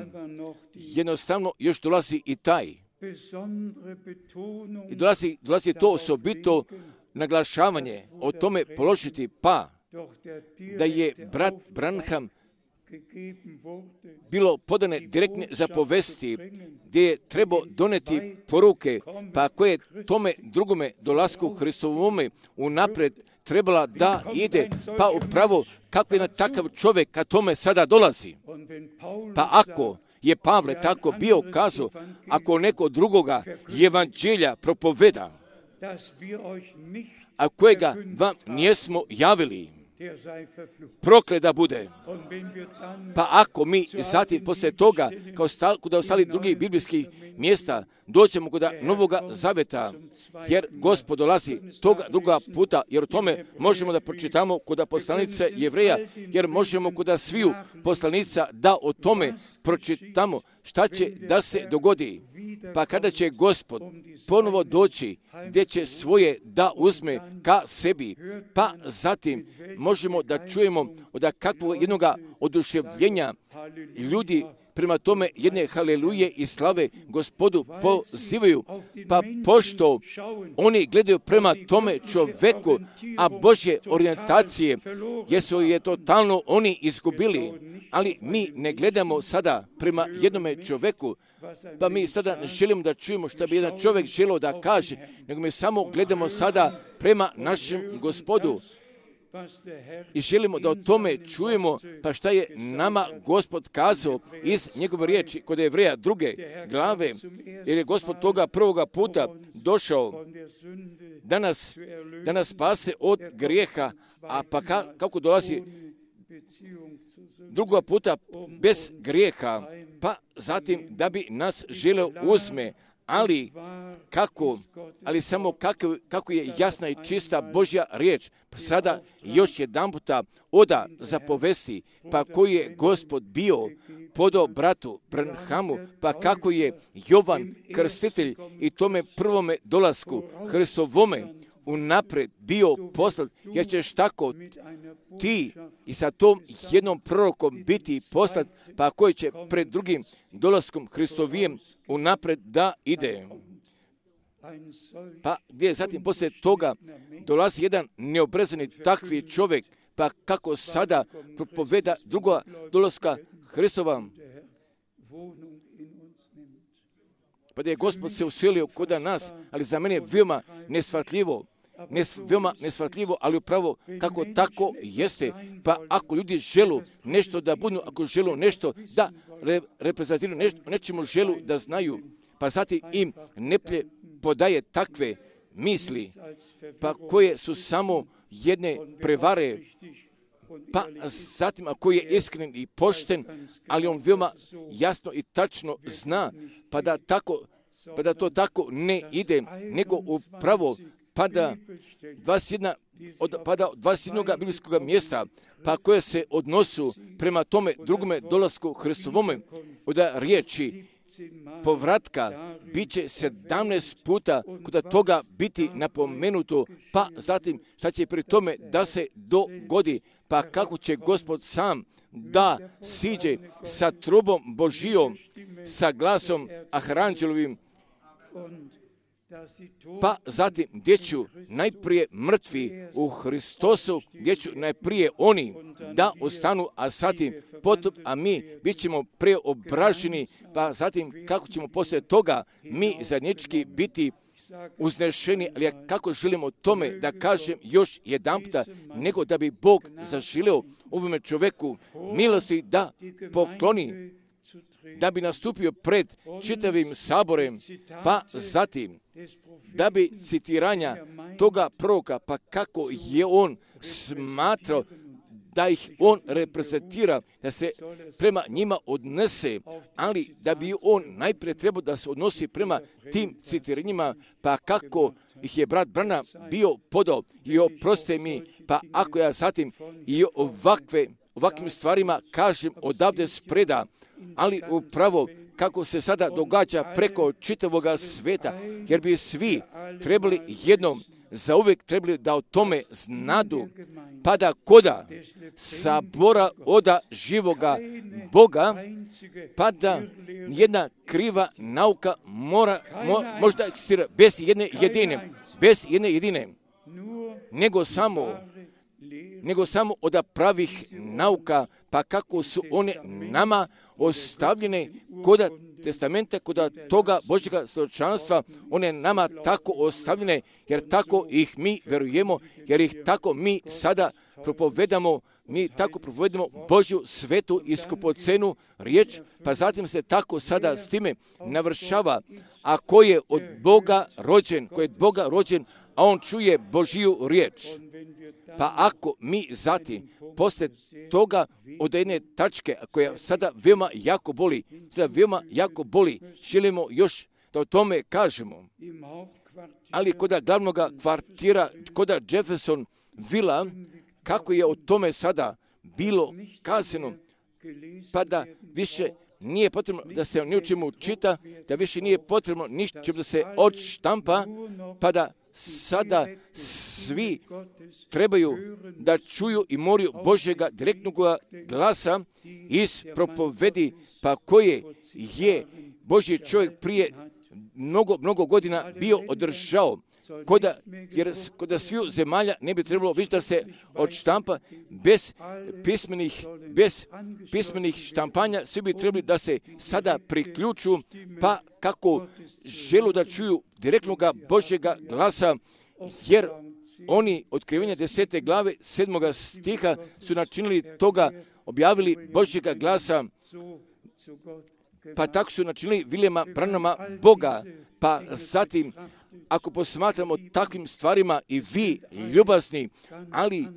jednostavno još dolazi i taj. I dolazi to osobito naglašavanje, o tome položiti, pa da je brat Branham bilo podane direktne zapovesti gdje je trebao doneti poruke, pa koje tome drugome dolasku Hristovome unaprijed trebala da ide, pa upravo kako je na takav čovjek ka tome sada dolazi. Pa ako je Pavle tako bio kazao, ako neko drugoga evanđelja propoveda, a kojega vam nijesmo javili, proklet da bude. Pa ako mi zatim poslije toga, kao kod ostalih drugih biblijskih mjesta, doćemo kod Novoga Zaveta, jer Gospod dolazi toga druga puta, jer o tome možemo da pročitamo kod poslanice Jevreja, jer možemo kod sviju poslanica da o tome pročitamo šta će da se dogodi. Pa kada će Gospod ponovo doći, gdje će svoje da uzme ka sebi, pa zatim možemo da čujemo od kakvog jednoga oduševljenja ljudi prema tome jedne haleluje i slave Gospodu pozivaju, pa pošto oni gledaju prema tome čoveku, a Božje orijentacije jesu je totalno oni izgubili, ali mi ne gledamo sada prema jednome čoveku, pa mi sada ne želimo da čujemo što bi jedan čovjek želio da kaže, nego mi samo gledamo sada prema našem Gospodu. I želimo da o tome čujemo, pa šta je nama Gospod kazao iz njegove riječi kod Jevreja 2. glave, jer je Gospod toga prvoga puta došao da nas spase od grijeha, a pa kako dolazi drugoga puta bez grijeha, pa zatim da bi nas želeo uzme, ali samo kako je jasna i čista Božja riječ, pa sada još jedan puta oda zapovesti, pa koji je Gospod bio podao bratu Branhamu, pa kako je Jovan Krstitelj i tome prvome dolasku Hristovome unaprijed bio poslat, jer ćeš tako ti i sa tom jednom prorokom biti poslat, pa koji će pred drugim dolaskom Hristovijem unaprijed da ide. Pa gdje zatim poslije toga dolazi jedan neobrezani takvi čovjek, pa kako sada propoveda druga dolaska Hristova, pa da je Gospod se uselio kod nas, ali za mene je veoma nesvatljivo, ali upravo kako tako jeste. Pa ako ljudi želu nešto da budu, ako želu nešto da reprezentiraju, nečemu želu da znaju, pa zatim im neplje podaje takve misli, pa koje su samo jedne prevare, pa zatim ako je iskren i pošten, ali on veoma jasno i tačno zna, pa da to tako ne ide, nego upravo pada 21 biblijskog mjesta, pa koje se odnosu prema tome drugome dolasku Hristovome, od riječi povratka bit će 17 puta kod toga biti napomenuto, pa zatim šta će pri tome da se dogodi, pa kako će Gospod sam da siđe sa trubom Božijom, sa glasom Aranđelovim, pa zatim gdje ću najprije mrtvi u Hristosu, gdje ću najprije oni da ostanu, a zatim potom, a mi bit ćemo preobraženi, pa zatim kako ćemo poslije toga mi zajednički biti uznešeni, ali ja kako želim o tome da kažem još jedanputa, nego da bi Bog zaželeo ovome čoveku milosti da pokloni, da bi nastupio pred čitavim saborem, pa zatim da bi citiranja toga proroka, pa kako je on smatrao da ih on reprezentira, da se prema njima odnese, ali da bi on najprije trebao da se odnosi prema tim citiranjima, pa kako ih je brat Branham bio podao i oproste mi, pa ako ja zatim i ovakvim stvarima kažem odavde spreda, ali upravo kako se sada događa preko čitavoga sveta, jer bi svi trebali jednom zauvijek trebali da o tome znadu, pa da koda sabora oda živoga Boga, pa da jedna kriva nauka možda eksistira bez jedne jedine, nego samo od pravih nauka, pa kako su one nama ostavljene kod testamenta, kod toga Božjega svjedočanstva, one nama tako ostavljene, jer tako ih mi verujemo, jer ih tako mi sada propovedamo, Božju svetu i skupocenu riječ, pa zatim se tako sada s time navršava, a ko je od Boga rođen, a on čuje Božju riječ. Pa ako mi zatim, poslije toga od jedne tačke koja sada veoma jako boli, želimo još da o tome kažemo. Ali kod glavnog kvartira, kod Jefferson Villa, kako je o tome sada bilo kazano, pa da više nije potrebno da se o ničemu čita, da više nije potrebno ništa da se odštampa, pa da sada svi trebaju da čuju i moraju Božjega direktnog glasa iz propovedi, pa koje Božji čovjek prije mnogo godina bio održao. Jer kod sviju zemalja ne bi trebalo više da se odštampa bez pismenih štampanja, svi bi trebali da se sada priključu, pa kako želu da čuju direktnog Božjega glasa, jer oni otkrivenja 10. glave 7. stiha su načinili toga, objavili Božjega glasa, pa tako su načinili Viljema Branhama Boga, pa zatim ako posmatramo takvim stvarima i vi ljubazni, ali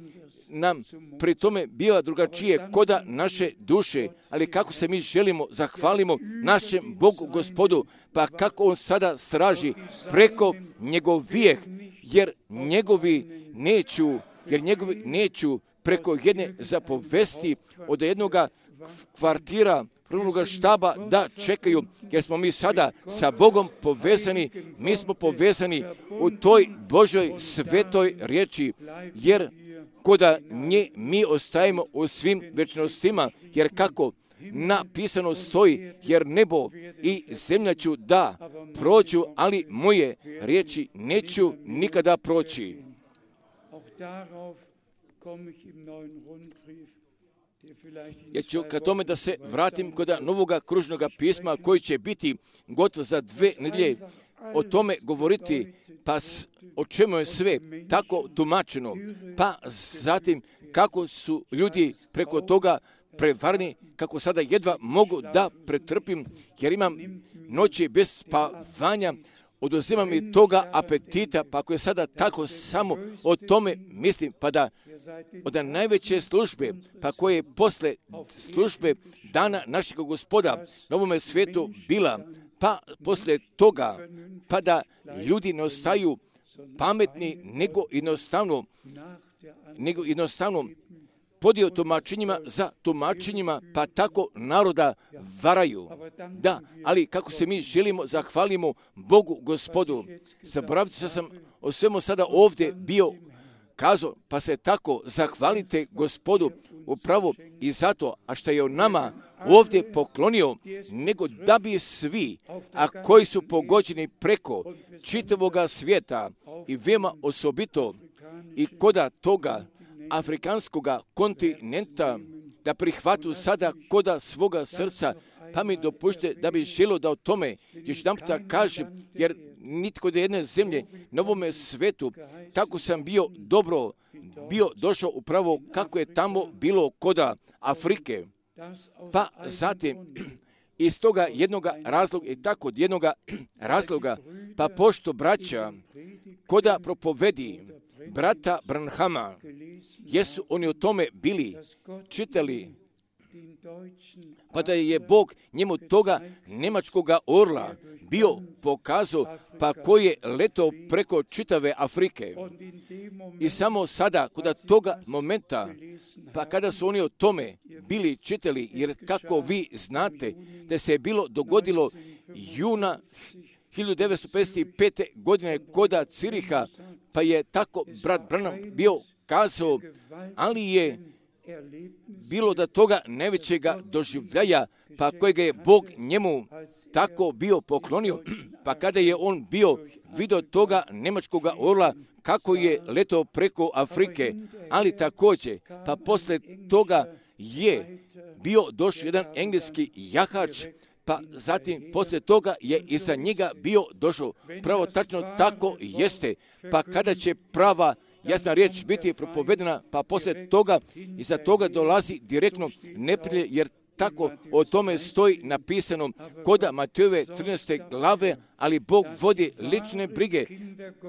nam pri tome biva drugačije koda naše duše, ali kako se mi želimo, zahvalimo našem Bogu Gospodu, pa kako on sada straži preko njegovijeh, jer njegovi neću preko jedne zapovesti od jednoga kvartira, prvog štaba da čekaju, jer smo mi sada sa Bogom povezani, mi smo povezani u toj Božoj svetoj riječi, jer koda nje mi ostajemo u svim večnostima, jer kako napisano stoji, jer nebo i zemlja ću da prođu, ali moje riječi neću nikada proći. Ja ću ka tome da se vratim kod novoga kružnoga pisma koji će biti gotov za 2 nedelje, o tome govoriti, pa o čemu je sve tako tumačeno, pa zatim kako su ljudi preko toga prevarni, kako sada jedva mogu da pretrpim, jer imam noći bez spavanja, oduzima mi toga apetita, pa ako je sada tako samo o tome mislim, pa da od najveće službe, pa koje je posle službe dana našeg Gospoda na ovome svijetu bila, pa posle toga, pa da ljudi ne ostaju pametni, nego jednostavno podio tumačenjima za tumačenjima, pa tako naroda varaju. Da, ali kako se mi želimo, zahvalimo Bogu Gospodu. Zaboravite što sam o svemu sada ovdje bio kazao, pa se tako zahvalite Gospodu upravo i zato, a što je on nama ovdje poklonio, nego da bi svi, a koji su pogođeni preko čitavoga svijeta i veoma osobito i koda toga afrikanskoga kontinenta, da prihvatu sada koda svoga srca, pa mi dopušte da bi želio da o tome još jedan puta kažem, jer nitko od jedne zemlje na ovome svetu, tako sam bio došao upravo kako je tamo bilo koda Afrike. Pa zatim, iz toga jednoga razloga i tako od jednoga razloga, pa pošto braća koda propovedi brata Branhama, jesu oni o tome bili čitali, pa da je Bog njemu toga nemačkoga orla bio pokazao, pa koji je letao preko čitave Afrike. I samo sada, kod toga momenta, pa kada su oni o tome bili čitali, jer kako vi znate da se je bilo dogodilo juna 1955. godine koda Ciriha, pa je tako brat Branham bio kazao, ali je bilo da toga najvećega doživljaja, pa kojega je Bog njemu tako bio poklonio, pa kada je on bio vidio toga nemačkoga orla kako je letao preko Afrike, ali također, pa posle toga je bio došao jedan engleski jahač, pa zatim poslije toga je iza njega bio došao. Pravo tačno tako jeste, pa kada će prava jasna riječ biti propovedena, pa poslije toga iza toga dolazi direktno neprijatelj, jer tako o tome stoji napisano koda Matejove 13. glave, ali Bog vodi lične brige,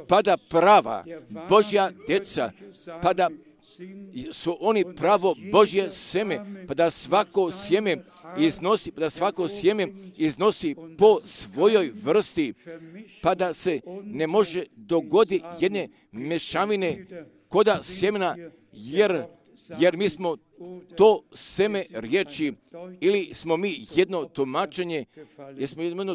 pa da prava Božja djeca, pa da su oni pravo Božje sjeme, pa da svako sjeme iznosi po svojoj vrsti, pa da se ne može dogoditi jedne mešavine koda sjemena, jer mi smo to seme riječi, ili smo mi jedno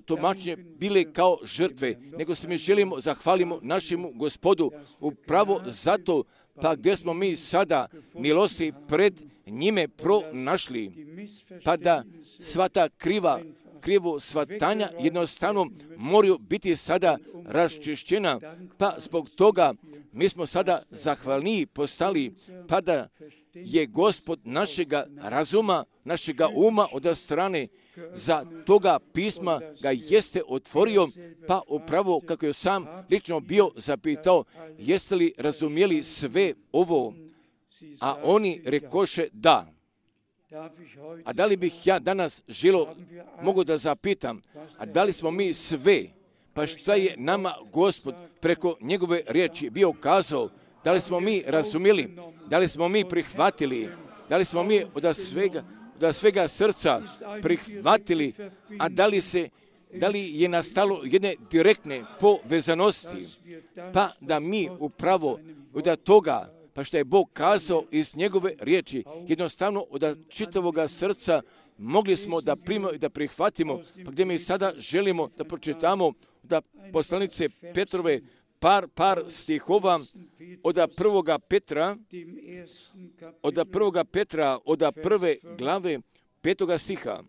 tumačenje bili kao žrtve, nego se mi želimo, zahvalimo našemu Gospodu upravo zato, pa gdje smo mi sada milosti pred njime pronašli, pa da sva ta krivo shvatanja jednostavno moraju biti sada raščišćena, pa zbog toga mi smo sada zahvalniji postali, pa da je Gospod našega razuma, našega uma od strane za toga pisma ga jeste otvorio, pa upravo kako je sam lično bio zapitao, jeste li razumjeli sve ovo, a oni rekoše da. A da li bih ja danas mogu da zapitam, a da li smo mi sve, pa šta je nama Gospod preko njegove riječi bio kazao, da li smo mi razumjeli, da li smo mi prihvatili, da li smo mi od svega srca prihvatili, a da li je nastalo jedne direktne povezanosti, pa da mi upravo od toga, pa što je Bog kazao iz njegove riječi, jednostavno od čitavoga srca mogli smo da primimo i da prihvatimo, pa gdje mi sada želimo da pročitamo da poslanice Petrove par stihova od prvoga Petra, od prve glave 5. stiha.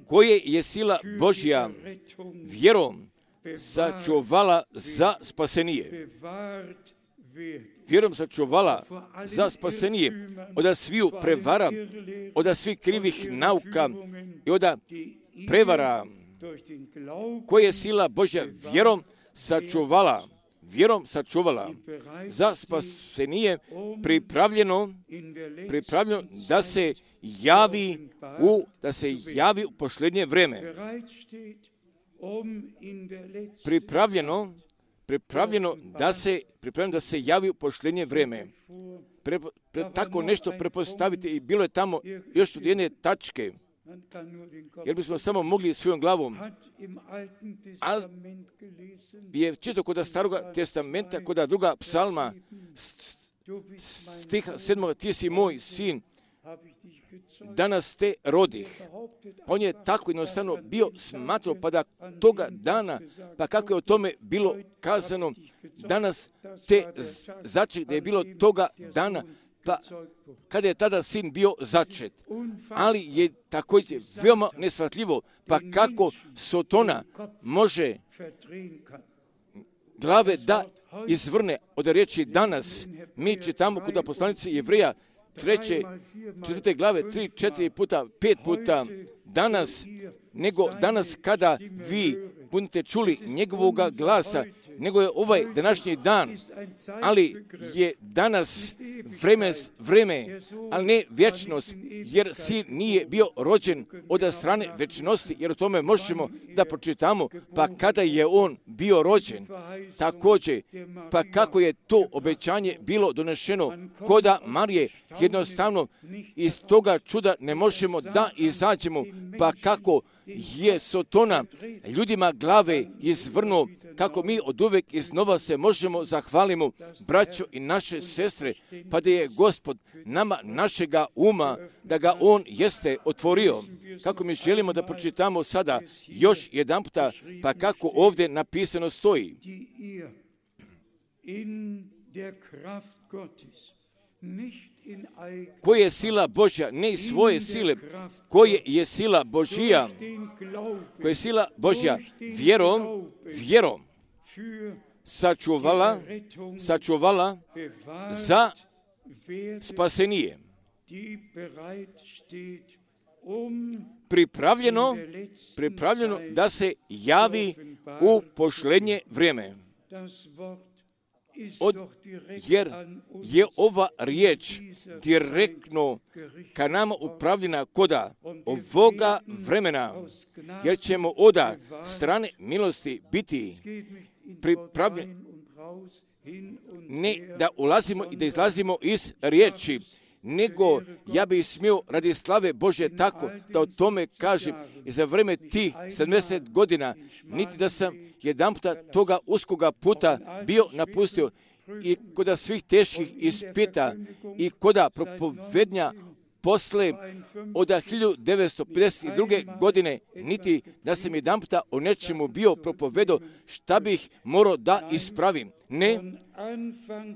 Koje je sila Božja vjerom sačuvala za spasenije. Vjerom sačuvala za spasenije od sviju prevara, od svih krivih nauka i od prevara koje je sila Božja vjerom sačuvala za spasenije pripravljeno da se javi u posljednje vrijeme. Pripravljeno da se javi u posljednje vrijeme. Tako nešto prepostaviti i bilo je tamo još od jedne tačke, jer bismo samo mogli svojom glavom. Ali je čito kod Staroga testamenta, kod druga psalma, stiha 7. Ti si moj sin, danas te rodih. On je tako jednostavno bio smatrao, pa da toga dana, pa kako je o tome bilo kazano, danas te začet, da je bilo toga dana, pa kada je tada sin bio začet. Ali je također veoma neshvatljivo, pa kako Sotona može glave da izvrne od riječi danas. Mi čitamo kod poslanice Jevreja 4. glave 3, 4 puta, 5 puta danas, nego danas kada vi budete čuli njegovoga glasa, nego je ovaj današnji dan, ali je danas vreme, ali ne vječnost, jer sin nije bio rođen od strane vječnosti, jer o tome možemo da pročitamo, pa kada je on bio rođen, također, pa kako je to obećanje bilo donešeno koda Marije, jednostavno iz toga čuda ne možemo da izađemo, pa kako je Sotona ljudima glave izvrnuo, kako mi od uvek iznova se možemo zahvalimo, braćo i naše sestre, pa da je Gospod nama našega uma, da ga on jeste otvorio. Kako mi želimo da pročitamo sada još jedan puta, pa kako ovdje napisano stoji. Koje je sila Božja, ne iz svoje sile, koje je sila Božja, koje je sila Božja vjerom sačuvala za spasenije. Pripravljeno da se javi u posljednje vrijeme. Jer je ova riječ direktno ka nama upravljena koda ovoga vremena, jer ćemo od strane milosti biti pripravljeni, ne da ulazimo i da izlazimo iz riječi, nego ja bih smio radi slave Božje tako da o tome kažem i za vreme tih 70 godina, niti da sam jedan puta toga uskoga puta bio napustio i koda svih teških ispita i koda propovednja posle od 1952. godine, niti da sam jedan puta o nečemu bio propovedao šta bih morao da ispravim. Ne,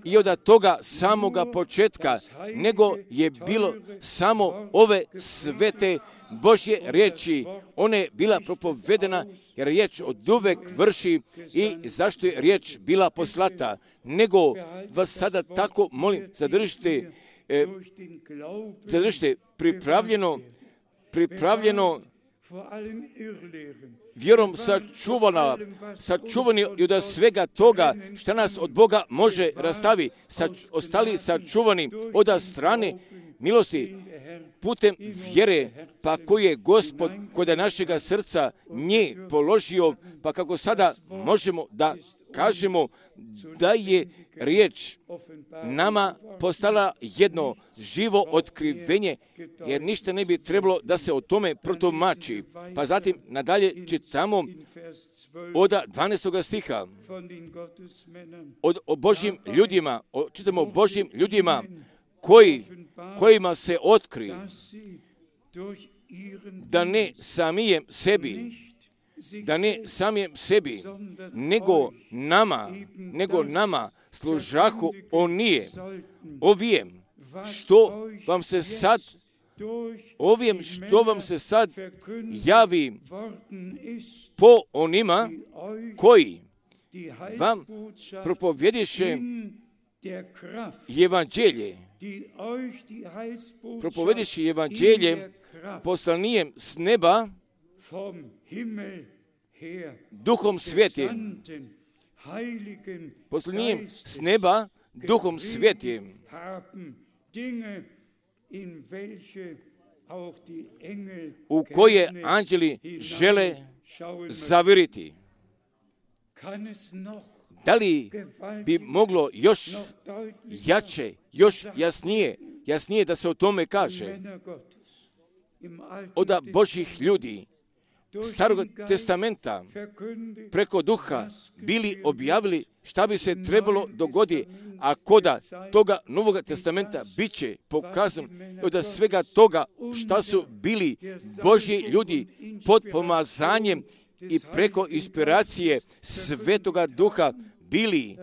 i od toga samoga početka, nego je bilo samo ove svete Božje riječi. Ona je bila propovedena jer riječ od uvek vrši i zašto je riječ bila poslata. Nego vas sada tako molim, zadržite pripravljeno vjerom sačuvani i od svega toga što nas od Boga može rastavi, ostali sačuvani od strane milosti putem vjere, pa koji je Gospod kod našega srca nje položio, pa kako sada možemo da kažemo da je riječ nama postala jedno živo otkrivenje, jer ništa ne bi trebalo da se o tome protumači. Pa zatim nadalje čitamo od 12. stiha o Božjim ljudima, čitamo o Božjim ljudima kojima se otkri da ne samijem sebi, nego nama služahu ovijem, što vam se sad ovim što vam se sad javi po onima koji vam propovjediše evanđelje, propovjediše evanđelje poslanijem s neba, Duhom Svetim, poslanijem s neba, Duhom Svetim, u koje anđeli žele zaviriti. Da li bi moglo još jače, još jasnije da se o tome kaže? Od Božjih ljudi Starog testamenta preko Duha bili objavili šta bi se trebalo dogoditi, a koda toga Novog testamenta bit će pokazano od svega toga šta su bili Božji ljudi pod pomazanjem i preko inspiracije Svetoga Duha bili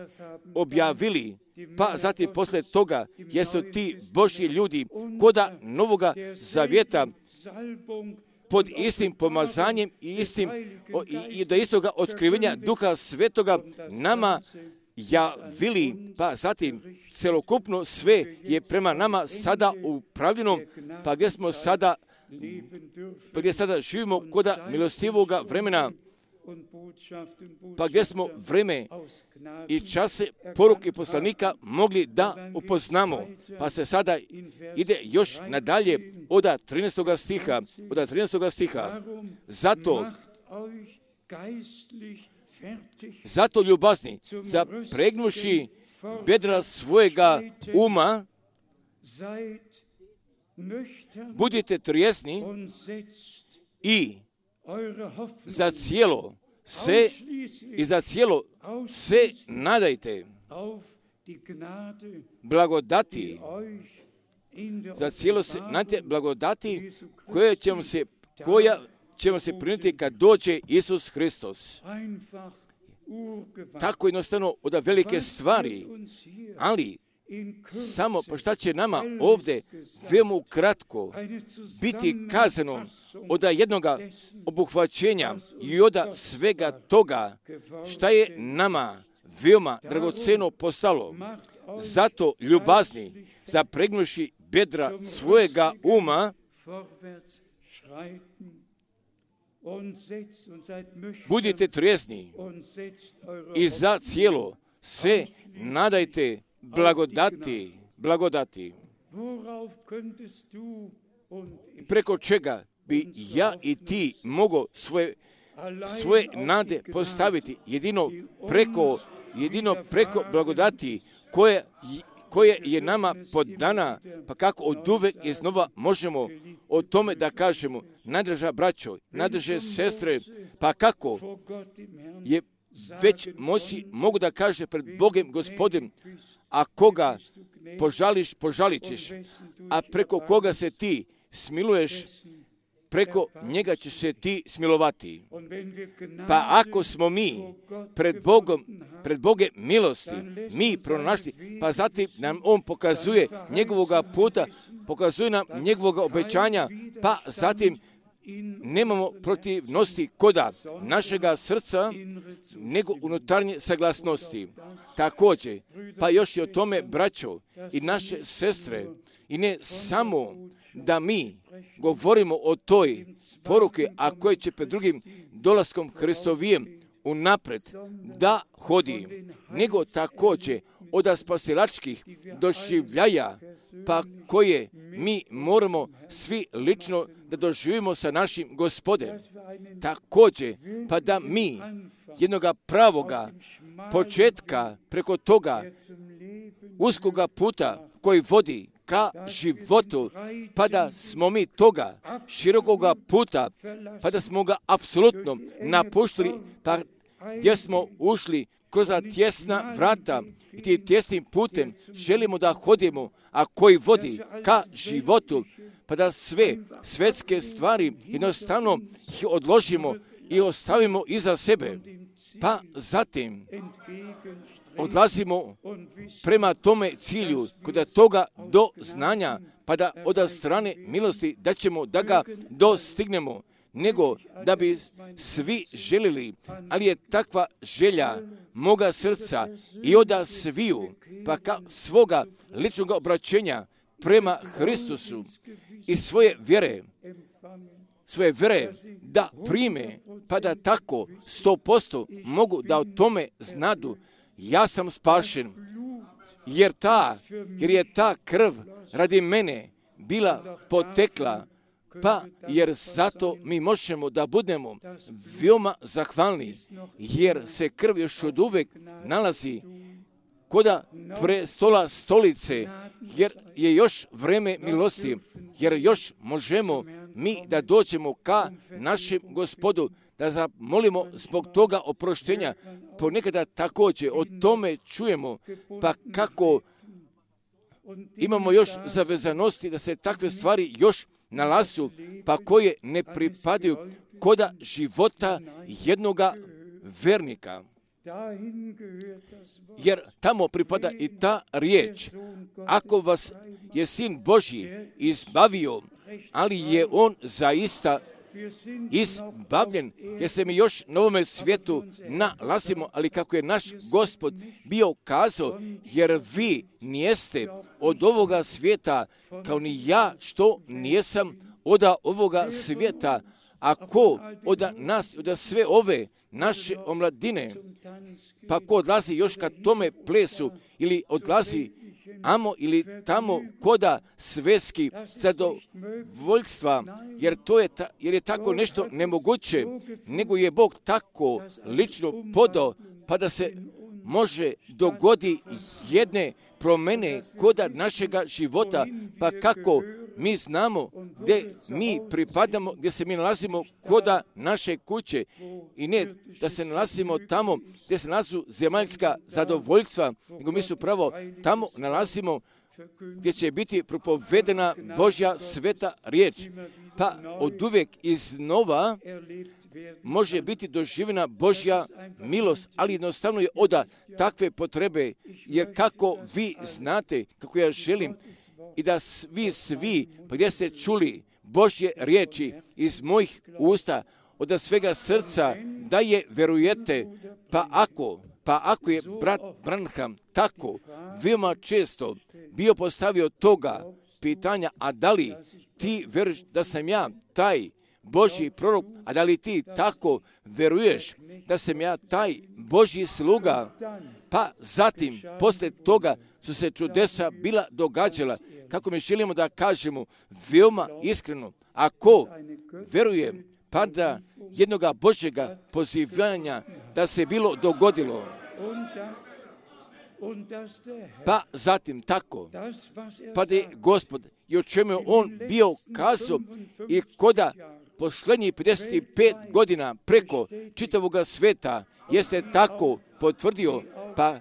objavili, pa zatim posle toga jesu ti Božji ljudi koda Novoga zavjeta pod istim pomazanjem i do istoga otkrivenja Duha Svetoga nama javili, pa zatim celokupno sve je prema nama sada upravljeno, pa gdje sada živimo koda milostivoga vremena, pa gdje smo vreme i čase poruke poslanika mogli da upoznamo. Pa se sada ide još nadalje od 13. stiha. Zato ljubazni, zapregnuši bedra svojega uma, budite trijesni i za cijelo se nadajte blagodati, za cijelo se nadajte blagodati koja ćemo se primiti kad dođe Isus Hristos. Tako jednostavno od velike stvari, ali samo pa šta će nama ovdje veoma kratko biti kazano od jednoga obuhvaćenja i od svega toga šta je nama veoma dragoceno postalo. Zato ljubazni, zapregnuši bedra svojega uma, budite trijezni i za cijelo se nadajte blagodati. Preko čega bi ja i ti mogo svoje nade postaviti jedino preko blagodati koje je nama podana, pa kako od uvek iznova možemo o tome da kažemo, najdraža braćo, najdraže sestre, pa kako je već mogu da kaže pred Bogem Gospodem, a koga požališ, požalit ćeš, a preko koga se ti smiluješ, preko njega ćeš se ti smilovati. Pa ako smo mi pred Boge milosti, mi pronašli, pa zatim nam On pokazuje njegovoga puta, pokazuje nam njegovoga obećanja, pa zatim nemamo protivnosti koda našega srca, nego unutarnje saglasnosti. Također, pa još i o tome, braćo i naše sestre, i ne samo da mi govorimo o toj poruke, a koje će pred drugim dolaskom Hristovijem unapred da hodi, nego također od spasilačkih doživljaja, pa koje mi moramo svi lično da doživimo sa našim Gospodem. Također, pa da mi jednoga pravoga početka preko toga uskoga puta koji vodi ka životu, pa da smo mi toga širokoga puta, pa da smo ga apsolutno napuštili, pa gdje smo ušli kroz tjesna vrata i tim tjesnim putem želimo da hodimo, a koji vodi ka životu, pa da sve svetske stvari jednostavno ih odložimo i ostavimo iza sebe. Pa zatim odlazimo prema tome cilju, kod toga do znanja, pa da od strane milosti da ćemo da ga dostignemo, nego da bi svi želili, ali je takva želja moga srca i od sviju, pa svoga ličnog obraćenja prema Hristusu i svoje vjere da prime, pa da tako 100% mogu da o tome znadu. Ja sam spašen, jer je ta krv radi mene bila potekla, pa jer zato mi možemo da budemo veoma zahvalni, jer se krv još od uvek nalazi koda prestola stolice, jer je još vreme milosti, jer još možemo mi da dođemo ka našem Gospodu, da zamolimo zbog toga oproštenja. Ponekada također o tome čujemo, pa kako imamo još zavezanosti da se takve stvari još nalazu, pa koje ne pripadaju koda života jednoga vernika. Jer tamo pripada i ta riječ. Ako vas je Sin Božji izbavio, ali je on zaista izbavljen, jer se mi još na ovome svijetu nalazimo, ali kako je naš Gospod bio kazao, jer vi nijeste od ovoga svijeta, kao ni ja što nijesam od ovoga svijeta. Ako od nas, od sve ove naše omladine, pa ko odlazi još ka tome plesu ili odlazi amo ili tamo koda svetski zadovoljstva, jer je tako nešto nemoguće, nego je Bog tako lično podao, pa da se može dogodi jedne promene koda našega života, pa kako mi znamo gdje mi pripadamo, gdje se mi nalazimo koda naše kuće i ne da se nalazimo tamo gdje se nalazu zemaljska zadovoljstva, nego mi su pravo tamo nalazimo gdje će biti propovedena Božja sveta riječ, pa od uvijek iznova može biti doživljena Božja milost, ali jednostavno je od takve potrebe, jer kako vi znate, kako ja želim, i da vi svi, pa gdje ste čuli Božje riječi iz mojih usta, od svega srca, da je verujete, pa ako je brat Branham tako veoma često bio postavio toga pitanja, a da li ti veruješ da sam ja taj Božji prorok, a da li ti tako veruješ da sam ja taj Božji sluga, pa zatim, poslije toga su se čudesa bila događala, kako mi želimo da kažemo veoma iskreno, ako verujem, pa da jednoga Božjega pozivanja da se bilo dogodilo, pa zatim tako, pa da je Gospod i o čemu je on bio kazao i koda posljednjih 55 godina preko čitavoga sveta jeste tako potvrdio, pa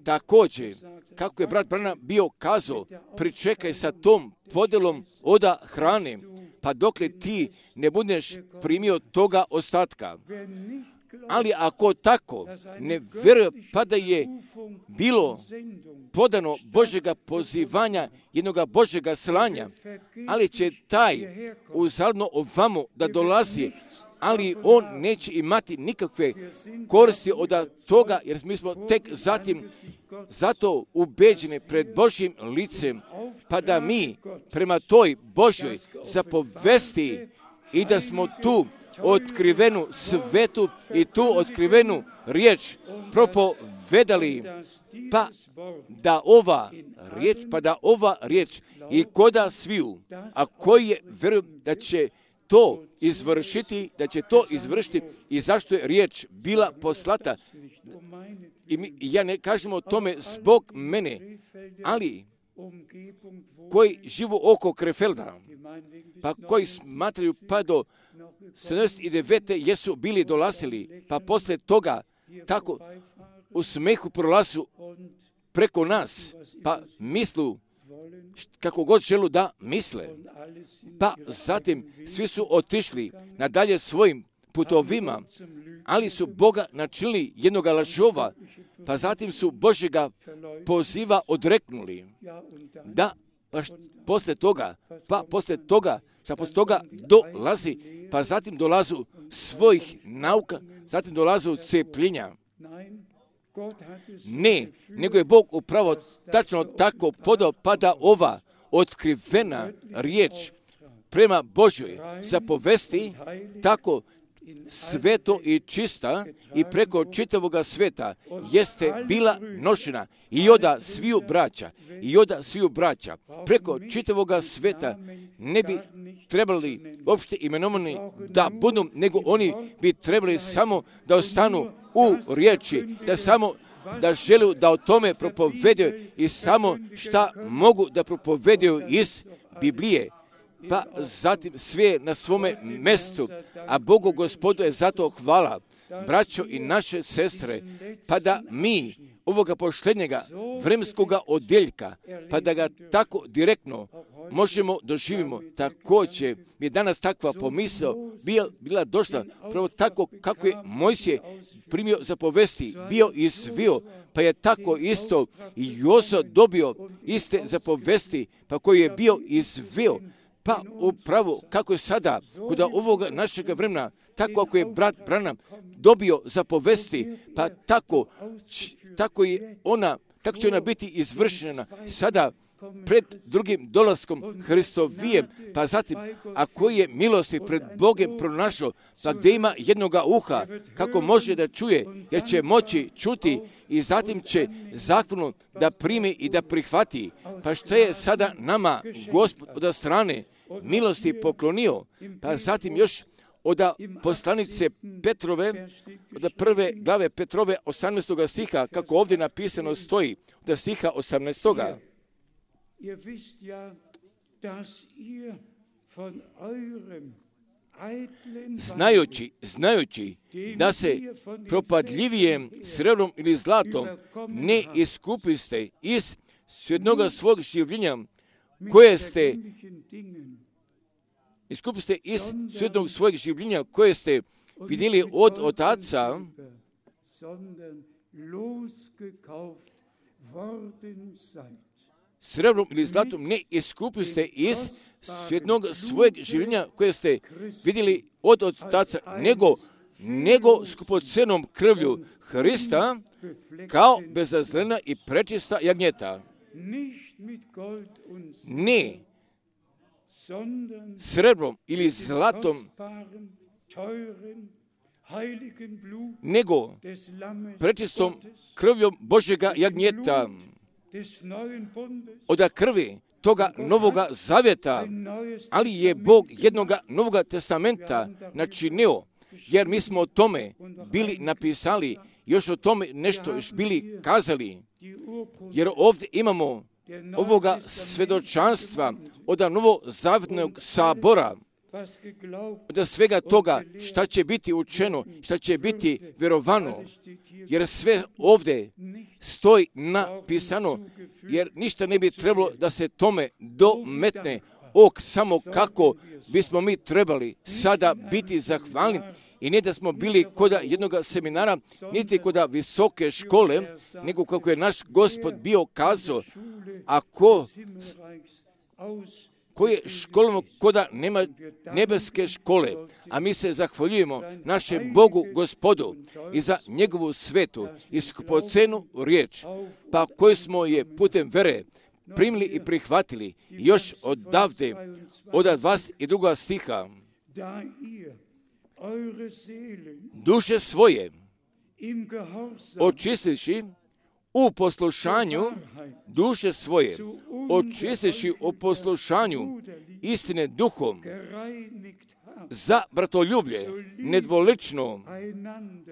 također, kako je brat Branham bio kazao, pričekaj sa tom podelom od hrane, pa dokle ti ne budeš primio toga ostatka. Ali ako tako ne vjeruje, pa da je bilo podano Božjega pozivanja, jednoga Božjega slanja, ali će taj uzalno ovamo da dolazi, ali on neće imati nikakve koristi od toga, jer mi smo tek zatim zato ubeđeni pred Božjim licem, pa da mi prema toj Božjoj zapovesti i da smo tu otkrivenu svetu i tu otkrivenu riječ propovedali, pa da ova riječ i koda sviju, a koji je vjerujem da će to izvršiti i zašto je riječ bila poslata. Ja ne kažem o tome zbog mene, ali koji živu oko Krefelda, pa koji smatraju pa do 79. jesu bili dolazili, pa poslije toga tako u smehu prolazu preko nas, pa mislu kako god želu da misle. Pa zatim svi su otišli nadalje svojim putovima, ali su Boga načinili jednoga lažova, pa zatim su Božjega poziva odreknuli. Da, pa poslije toga dolazi, pa zatim dolazu svojih nauka, zatim dolazu cepljenja. Ne, nego je Bog upravo tačno tako podao, pa da ova otkrivena riječ prema Božjoj zapovesti tako sveto i čista i preko čitavoga sveta jeste bila nošena i od sviju braća preko čitavoga sveta ne bi trebali uopšte imenovani da budu, nego oni bi trebali samo da ostanu u riječi, da žele da o tome propovedaju i samo šta mogu da propovedaju iz Biblije. Pa zatim sve na svome mjestu, a Bogu Gospodu je zato hvala, braćo i naše sestre, pa da mi ovoga poštenjega vremenskoga odjeljka, pa da ga tako direktno možemo doživimo. Također je danas takva pomisao bila došla, pravo tako kako je Mojsije primio zapovesti, bio izvio, pa je tako isto i Jozo dobio iste zapovesti, pa koji je bio izvio. Pa upravo kako je sada kod ovoga našega vremena, tako ako je brat Branham dobio zapovesti, pa tako će ona biti izvršena sada pred drugim dolaskom Hristovijem, pa zatim ako je milosti pred Bogom pronašao, pa gdje ima jednoga uha, kako može da čuje, jer će moći čuti i zatim će zakonu da primi i da prihvati. Pa što je sada nama Gospod od strane milosti poklonio, pa zatim još od poslanice Petrove, od prve glave Petrove 18. stiha, kako ovdje napisano stoji, od stiha 18. Znajući da se propadljivijem srebrom ili zlatom ne iskupiste iz svjednoga svog življenja, koje ste svjednog svojeg življenja, koje ste vidjeli od otaca, srebrom ili zlatom ne iskupiste iz svjednog svojeg življenja, koje ste vidjeli od otaca, nego skupocenom krvlju Hrista, kao bezazlena i prečista jagnjeta. Ne srebrom ili zlatom, nego prečistom krvljom Božjega jagnjeta, od krvi toga novoga zavjeta, ali je Bog jednoga novoga testamenta načinio, jer mi smo o tome bili napisali, još o tome nešto još bili kazali, jer ovdje imamo ovoga svjedočanstva od novozavjetnog sabora, od svega toga šta će biti učeno, šta će biti vjerovano, jer sve ovdje stoji napisano, jer ništa ne bi trebalo da se tome dometne, samo kako bismo mi trebali sada biti zahvalni, i ne da smo bili kod jednog seminara, niti kod visoke škole, nego kako je naš Gospod bio kazao, ako koji je školom koda nema nebeske škole, a mi se zahvaljujemo našem Bogu Gospodu i za njegovu svetu i skupocenu riječ, pa koju smo je putem vere primili i prihvatili još odavde, od 22. stiha. Duše svoje očistivši u poslušanju, duše svoje očistivši u poslušanju istine duhom, za bratoljublje nedvolično,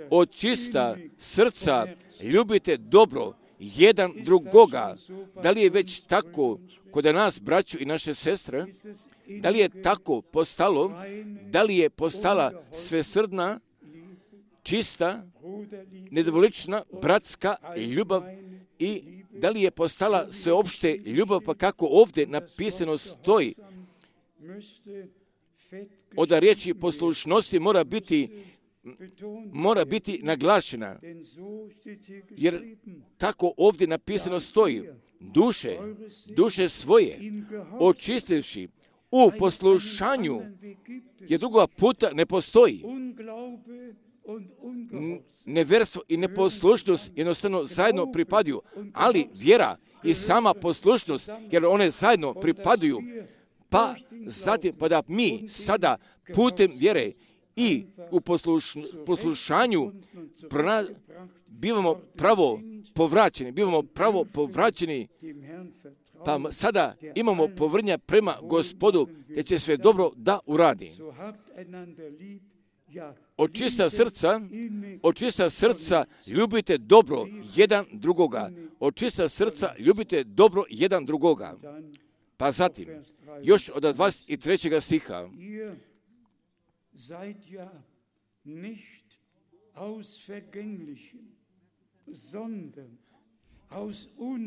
od čista srca ljubite dobro jedan drugoga. Da li je već tako kod nas, braćo i naše sestre? Da li je tako postalo? Da li je postala svesrdna, čista, nedvolična, bratska ljubav i da li je postala sveopšte ljubav, pa kako ovdje napisano stoji? Od riječi poslušnosti mora biti mora biti naglašena, jer tako ovdje napisano stoji, duše svoje očistivši u poslušanju, jer drugoga puta ne postoji. Neverstvo i neposlušnost jednostavno zajedno pripadaju, ali vjera i sama poslušnost, jer one zajedno pripadaju, pa zatim pa da mi sada putem vjere i u poslušanju bivamo pravo povraćeni, pa sada imamo povrnja prema Gospodu, te će sve dobro da uradi. Od čista srca ljubite dobro jedan drugoga. Od čista srca ljubite dobro jedan drugoga. Pa zatim, još od 23. stiha.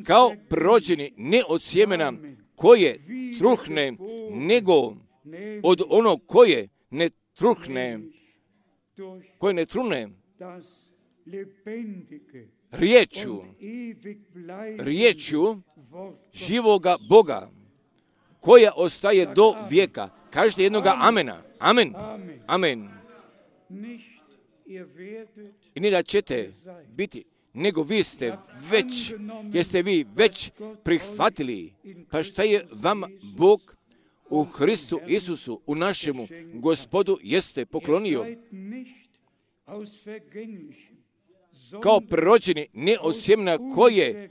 Kao prođeni ne od sjemena koje truhne, nego od onog koje ne truhne, riječju živoga Boga, koja ostaje do vijeka. Kažete jednoga amena. Amen. Amen. I ne da ćete biti, nego vi ste već, jeste vi već prihvatili, pa šta je vam Bog u Hristu Isusu, u našemu Gospodu, jeste poklonio. Kao prerođeni, ne od sjemena koje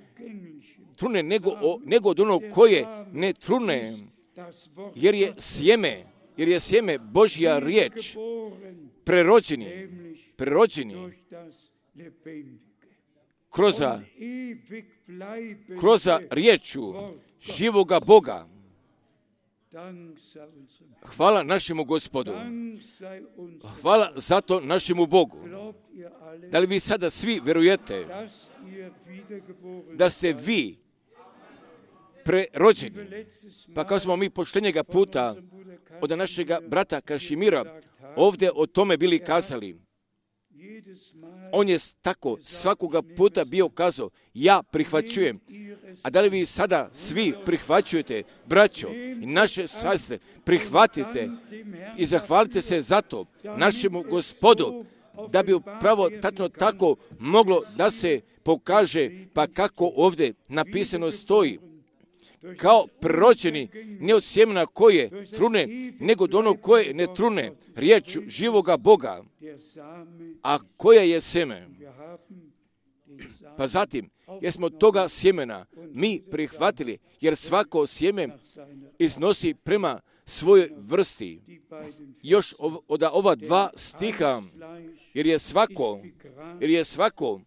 trune, nego od onog koje ne trune, jer je sjeme Božja riječ, prerođeni kroz riječu živoga Boga. Hvala našemu Gospodu. Hvala zato našemu Bogu. Da li vi sada svi verujete da ste vi prerođeni? Pa kao smo mi poštenjega puta od našega brata Kašimira ovdje o tome bili kazali. On je tako svakoga puta bio kazao, ja prihvaćujem. A da li vi sada svi prihvaćujete, braćo i naše sestre, prihvatite i zahvalite se za to našemu Gospodu, da bi upravo tačno tako moglo da se pokaže, pa kako ovdje napisano stoji. Kao proročeni, ne od sjemena koje trune, nego od onog koje ne trune, riječu živoga Boga. A koja je sjeme? Pa zatim, jer smo toga sjemena mi prihvatili, jer svako sjeme iznosi prema svojoj vrsti. Još od ova dva stiha, jer je svako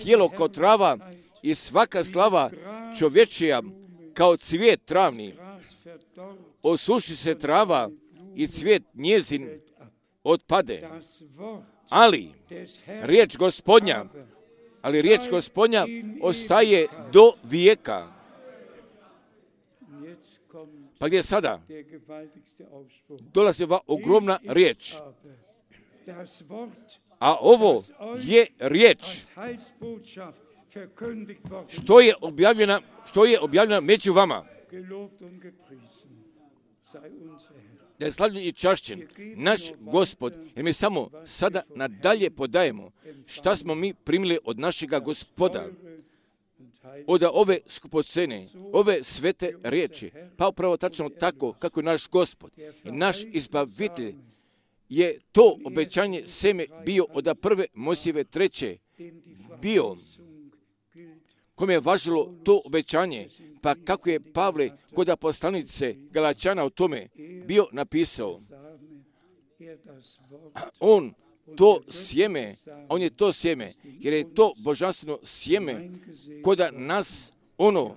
tijelo kao trava i svaka slava čovječija kao cvijet travni. Osuši se trava i cvijet njezin otpade. Ali riječ Gospodnja ostaje do vijeka. Pa gdje sada dolazi ova ogromna riječ. A ovo je riječ što je objavljena među vama. Da je slavljen i čašćen naš Gospod, jer mi samo sada nadalje podajemo šta smo mi primili od našega Gospoda, od ove skupocene, ove svete riječi, pa upravo tačno tako kako je naš Gospod i naš izbavitelj je to obećanje seme bio od prve Mojsijeve 3. bio, kome je važilo to obećanje, pa kako je Pavle kod poslanice Galačana o tome bio napisao. On je to sjeme, jer je to božanstveno sjeme kod nas ono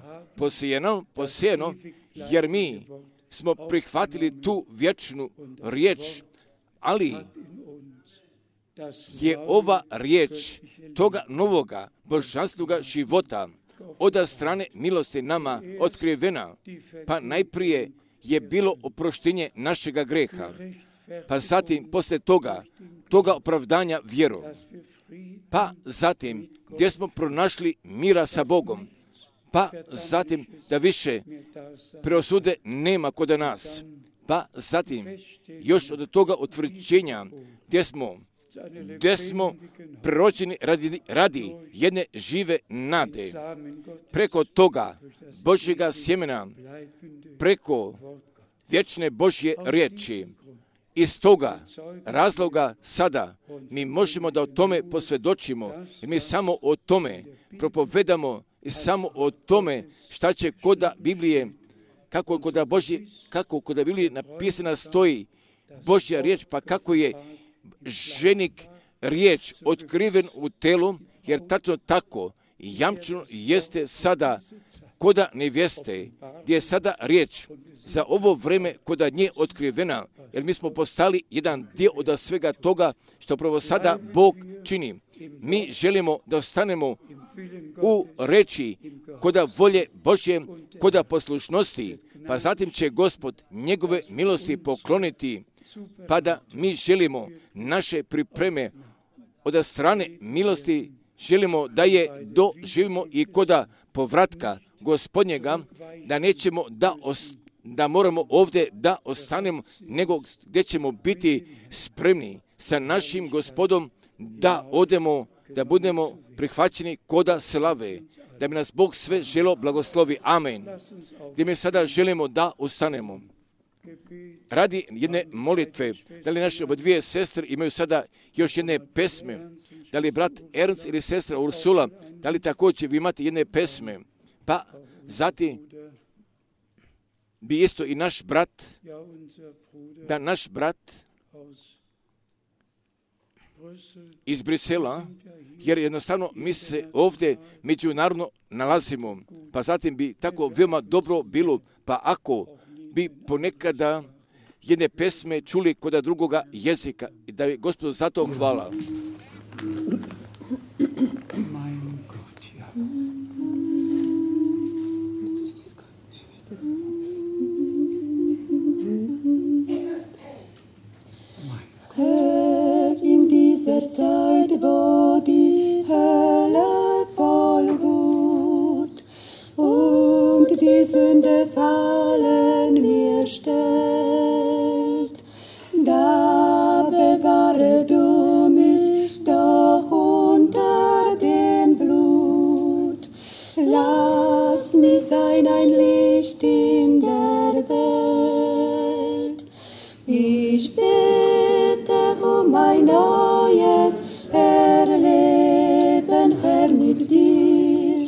posijeno, jer mi smo prihvatili tu vječnu riječ, ali je ova riječ toga novoga božanstvenog života od strane milosti nama otkrivena, pa najprije je bilo oproštenje našega greha, pa zatim poslije toga toga opravdanja vjerom. Pa zatim, gdje smo pronašli mira sa Bogom. Pa zatim, da više preosude nema kod nas. Pa zatim, još od toga utvrđenja, gdje smo proročeni radi jedne žive nade. Preko toga Božjega sjemena, preko vječne Božje riječi. Iz toga razloga sada mi možemo da o tome posvjedočimo, jer mi samo o tome propovedamo i samo o tome šta će koda Biblije, kako koda Biblije napisana stoji Božja riječ, pa kako je ženik riječ otkriven u telu, jer tačno tako jamčeno jeste sada koda nevjeste, gdje je sada riječ za ovo vreme koda nje otkrivena, jer mi smo postali jedan dio od svega toga što pravo sada Bog čini. Mi želimo da ostanemo u reči koda volje Božje, koda poslušnosti, pa zatim će Gospod njegove milosti pokloniti, pa da mi želimo naše pripreme od strane milosti, želimo da je doživimo i koda povratka Gospodnjega, da nećemo da moramo ovdje da ostanemo, nego gdje ćemo biti spremni sa našim Gospodom da odemo, da budemo prihvaćeni koda slave, da bi nas Bog sve želo blagoslovi. Amen. Gdje mi sada želimo da ostanemo. Radi jedne molitve, da li naše dvije sestre imaju sada još jedne pesme, da li brat Ernst ili sestra Ursula, da li također vi imate jedne pesme, pa zatim bi isto i naš brat, da naš brat iz Brisela, jer jednostavno mi se ovdje međunarodno nalazimo, pa zatim bi tako veoma dobro bilo, pa ako bi ponekada jedne pesme čuli kod drugoga jezika, i da je Gospodu za to hvala. Herr, in dieser Zeit, wo die Hölle voll Wut und die Sünde fallen mir stellt, da bewahre du mich doch unter dem Blut. Lass mich sein ein Licht in der Welt. Ich bete um ein neues Erleben, Herr, mit dir.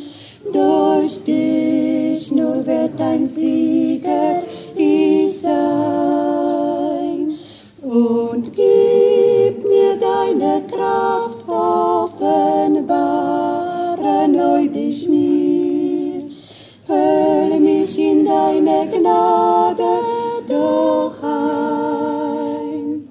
Durch dich nur wird ein Sieger ich sein. Und gib mir deine Kraft, offenbare neu dich mir. Hüll mich in deine Gnade doch ein.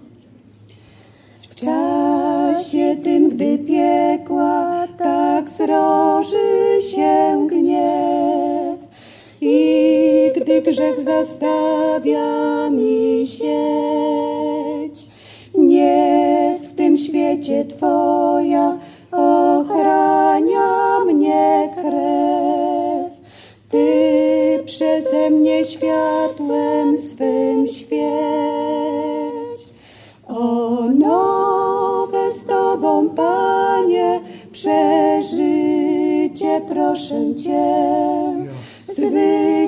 W czasie tym, gdy piekła tak zroży się gniew i gdy grzech zastawia mi sieć, nie w tym świecie Twoja ochrania mnie krew. Ty przeze mnie światłem swym świeć. O nowe z Tobą, Panie, przeżycie proszę Cię.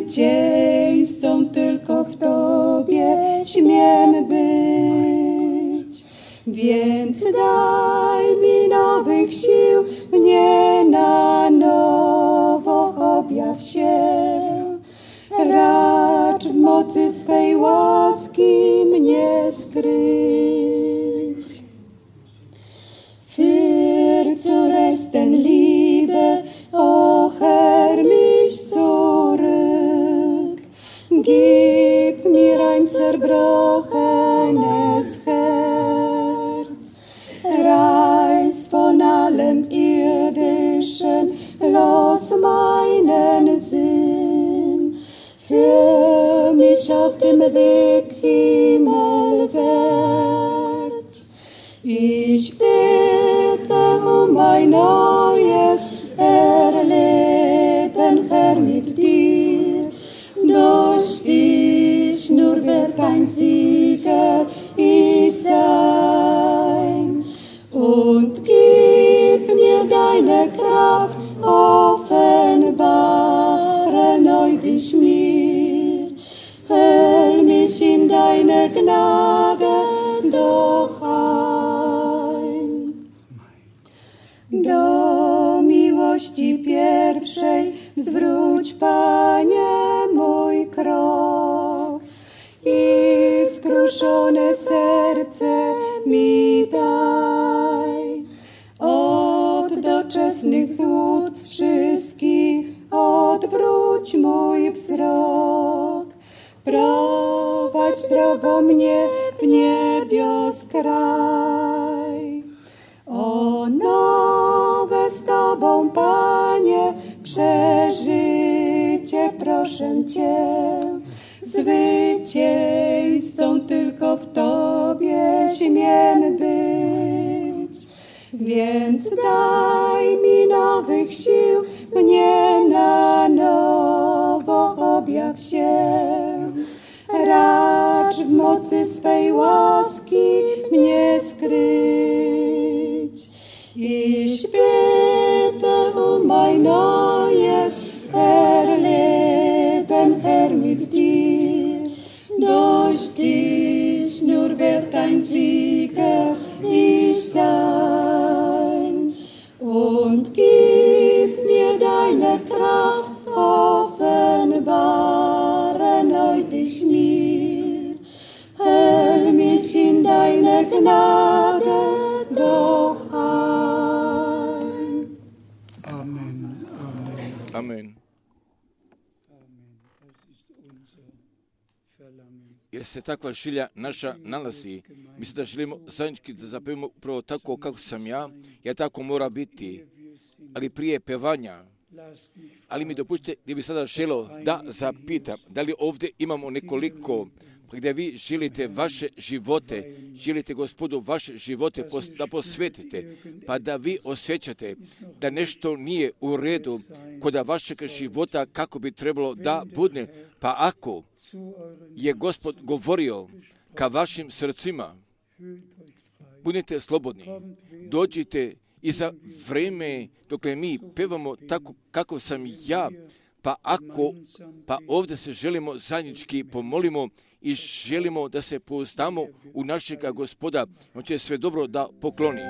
Zwycięzcą tylko w Tobie śmiem być. Więc daj mi nowych sił, mnie na nowo objaw się. Racz w mocy swej łaski mnie skryć. Für zur ersten Liebe, o Herr, mich zurück. Gib mir ein zerbrochenes Herz. Reiß von allem Irdischen los meinen Sinn. Führ mich auf dem Weg himmelwärts. zwróć, Panie, mój krok i skruszone serce mi daj. Od doczesnych złód wszystkich odwróć mój wzrok. Prowadź drogą mnie w niebios kraj. O nowe z Tobą, Panie, przeżycie proszę Cię. Zwycięzcą tylko w Tobie śmiem być. Więc daj mi nowych sił, mnie na nowo objaw się. Racz w mocy swej łaski mnie skryć. Ich bitte mein neues Erleben, Herr, mit dir. Durch dich nur wird ein Sieger ich sein. Und gib mir deine Kraft, offenbare neu dich mir. Hüll mich in deine Gnade doch ein. Amen. Amen. Jer se takva želja naša nalazi. Mi se da želimo zajednički da zapevimo upravo tako kako sam ja tako mora biti. Ali prije pevanja, ali mi dopustite da bi sada želio da zapitam, da li ovdje imamo nekoliko gdje vi želite vaše živote, želite Gospodu vaše živote da posvetite, pa da vi osjećate da nešto nije u redu kod vašeg života kako bi trebalo da bude, pa ako je Gospod govorio ka vašim srcima, budite slobodni, dođite i za vrijeme dokle mi pevamo tako kako sam ja, pa ovdje se želimo zajednički pomolimo i želimo da se pouzdamo u našega Gospoda, on će sve dobro da pokloni.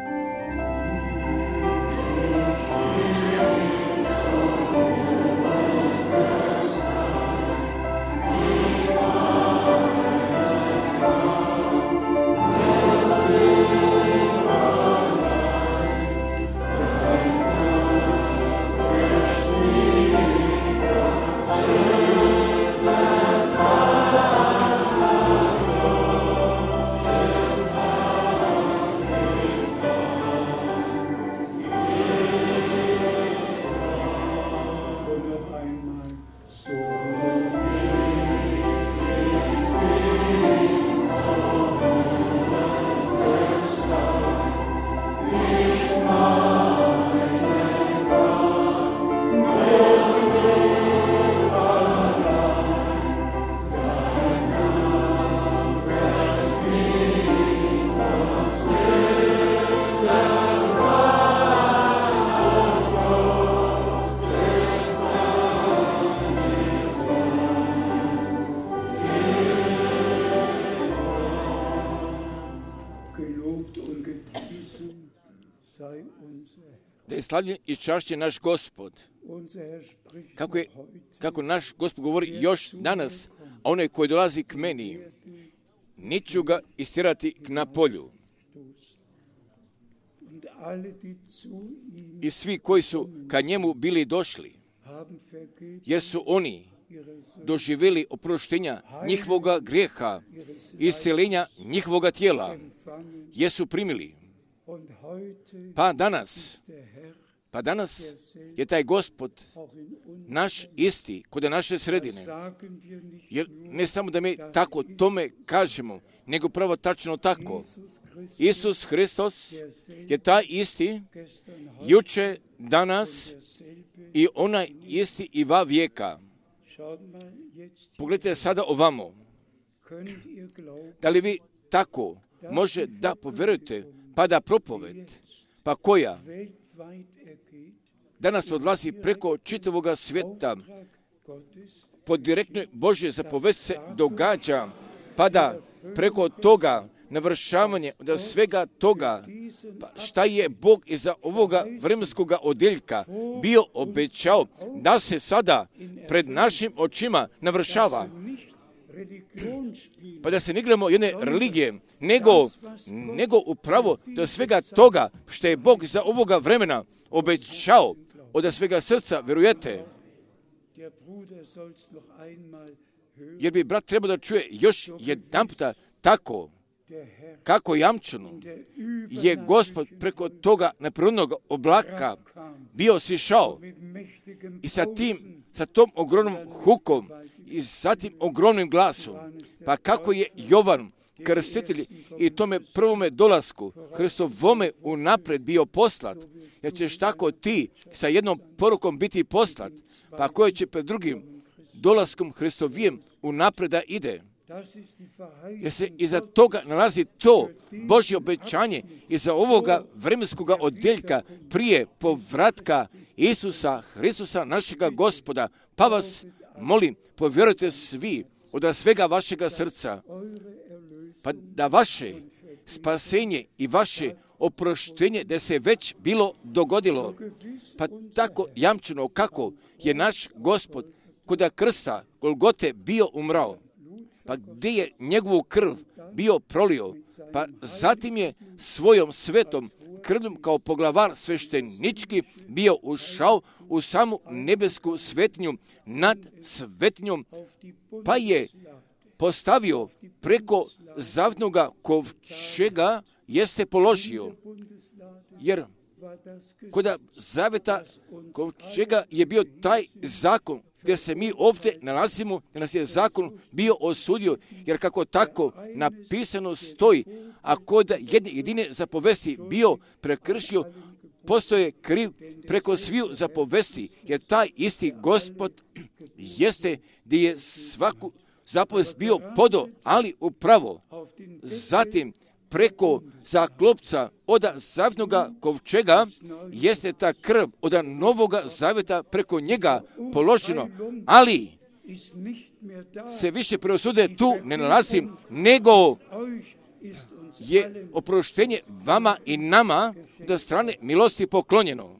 Da je slavljen i čašćen naš Gospod. Kako naš Gospod govori još danas, a onaj koji dolazi k meni, neću ga istirati na polju. I svi koji su ka njemu bili došli, jer su oni doživjeli oproštenja njihovoga grijeha, isceljenja njihovoga tijela, jesu primili. Pa danas je taj Gospod naš isti kod naše sredine. Jer ne samo da mi tako tome kažemo, nego pravo tačno tako. Isus Hristos je taj isti juče, danas i onaj isti i va vijeka. Pogledajte sada ovamo. Da li vi tako može da poverujete, pa da propoved, pa koja danas odlazi preko čitavoga svijeta, pod direktnoj Božje zapovest se događa, pa da preko toga navršavanje od svega toga Pa šta je Bog iza ovoga vremenskoga odjeljka bio obećao da se sada pred našim očima navršava? Pa da se ne igramo jedne religije, nego upravo do svega toga što je Bog za ovoga vremena obećao, od svega srca vjerujete. Jer bi brat trebao da čuje još jedan puta tako, kako jamčeno je Gospod preko toga neprirodnog oblaka bio sišao i sa tom ogromnom hukom i sa tim ogromnim glasom. Pa kako je Jovan krstitelj i tome prvome dolasku Hristovome unaprijed bio poslat, jer ćeš tako ti sa jednom porukom biti poslat, pa koje će pred drugim dolaskom Hristovijem unaprijed da ide. Jer se iza toga nalazi to Božje obećanje iza ovoga vremenskoga odjeljka prije povratka Isusa Hristusa našega Gospoda. Pa vas molim, povjerujte svi od svega vašega srca, pa da vaše spasenje i vaše oproštenje da se već bilo dogodilo. Pa tako jamčeno kako je naš Gospod kod krsta Golgote bio umrao, pa gdje je njegovu krv bio prolio, pa zatim je svojom svetom krvljom kao poglavar sveštenički bio ušao u samu nebesku svetinju nad svetinjom, pa je postavio preko zavnoga kovčega jeste položio. Jer kod zaveta kovčega je bio taj zakon gdje se mi ovdje nalazimo, gdje nas je zakon bio osudio, jer kako tako napisano stoji, a kod jedine zapovesti bio prekršio, postoje kriv preko sviju zapovesti, jer taj isti Gospod jeste gdje je svaku zapovest bio podo, ali upravo zatim preko zaklopca od zavnoga kovčega jeste ta krv od novoga zaveta preko njega položeno, ali se više preosude tu ne nalazim, nego je oproštenje vama i nama do strane milosti poklonjeno.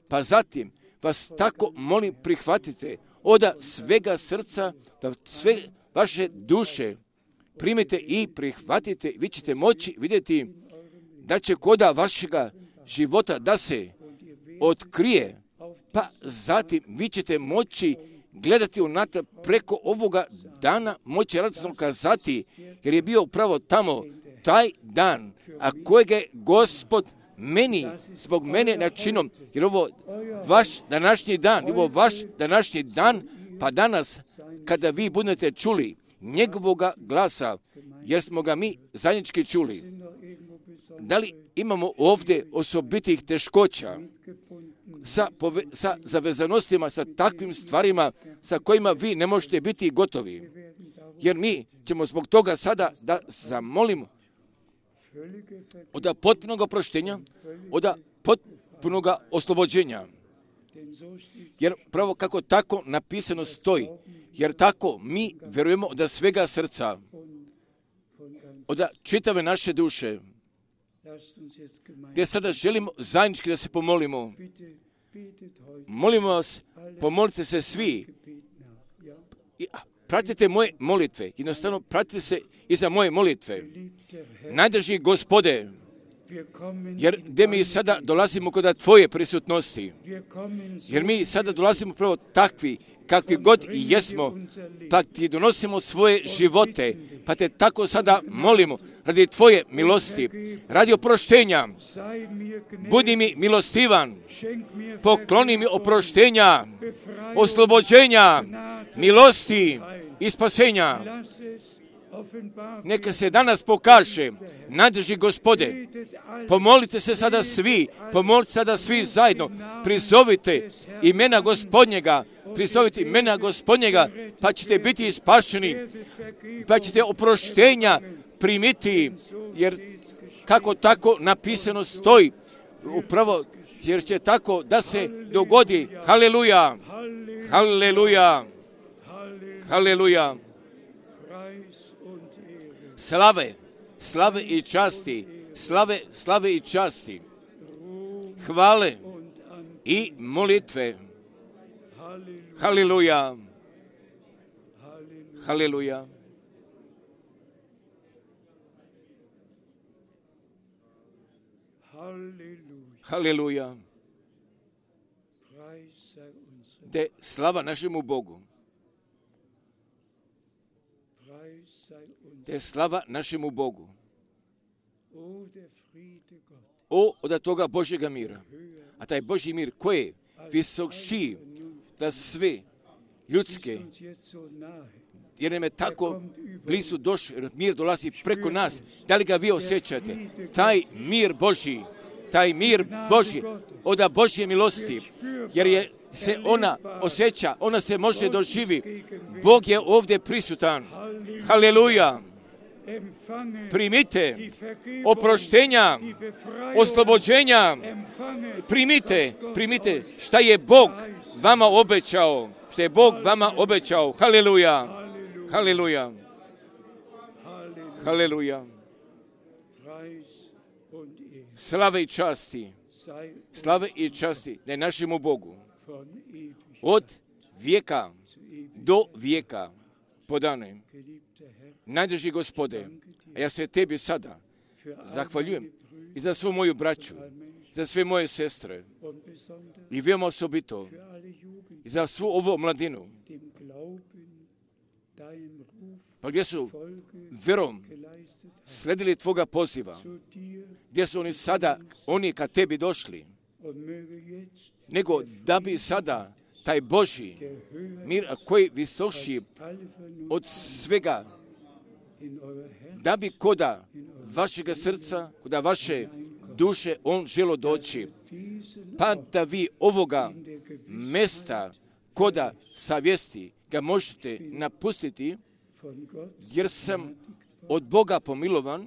Pa zatim vas tako molim prihvatite od svega srca, da sve vaše duše primite i prihvatite, vi ćete moći vidjeti da će koda vašega života da se otkrije, pa zatim vi ćete moći gledati unatrag preko ovoga dana, moći radosno kazati, jer je bio upravo tamo taj dan, a kojeg je Gospod meni, zbog mene načinom, jer ovo vaš današnji dan, pa danas kada vi budete čuli njegovoga glasa, jer smo ga mi zajednički čuli. Da li imamo ovdje osobitih teškoća sa zavezanostima, sa takvim stvarima sa kojima vi ne možete biti gotovi? Jer mi ćemo zbog toga sada da zamolimo od potpunog oproštenja, od potpunog oslobođenja. Jer pravo kako tako napisano stoji, jer tako mi vjerujemo od svega srca, od čitave naše duše, gdje sada želimo zajednički da se pomolimo. Molimo vas, pomolite se svi. Pratite moje molitve, jednostavno pratite se i za moje molitve. Najdrži Gospode, jer gdje mi sada dolazimo kod tvoje prisutnosti, jer mi sada dolazimo pravo takvi, kakvi god i jesmo, pa ti donosimo svoje živote, pa te tako sada molimo, radi tvoje milosti, radi oproštenja, budi mi milostivan, pokloni mi oproštenja, oslobođenja, milosti i spasenja. Neka se danas pokaže, najdrži Gospode, pomolite se sada svi zajedno, prizovite imena Gospodnjega, pa ćete biti spašeni, pa ćete oproštenja primiti, jer kako tako napisano stoji, upravo jer će tako da se dogodi. Haleluja, haleluja, haleluja. Slave i časti slave i časti, hvale i molitve. Haleluja. Haleluja. Haleluja. Te slava našemu Bogu. Te slava našemu Bogu. O, od toga Božjega mira. A taj Božji mir koji je visokši da sve ljudske, jer nam je tako blizu došao, jer mir dolazi preko nas. Da li ga vi osjećate? Taj mir Božji, od Božje milosti, jer se ona osjeća, ona se može doživi. Bog je ovdje prisutan. Haleluja. Primite oproštenja, oslobođenja. Primite šta je Bog vama obećao. Haleluja. Haleluja. Haleluja. Slave i časti ne našemu Bogu. Od vijeka do vijeka podane. Najdraži Gospode, a ja se tebi sada zahvaljujem i za svu moju braću, za sve moje sestre i veoma osobito i za svu ovu mladinu, pa gdje su verom sledili tvoga poziva, gdje su oni kad tebi došli, nego da bi sada taj Božji mir koji visoši od svega, da bi koda vašega srca, koda vaše duše on želo doći, pa da vi ovoga mesta koda savjesti ga možete napustiti, jer sam od Boga pomilovan,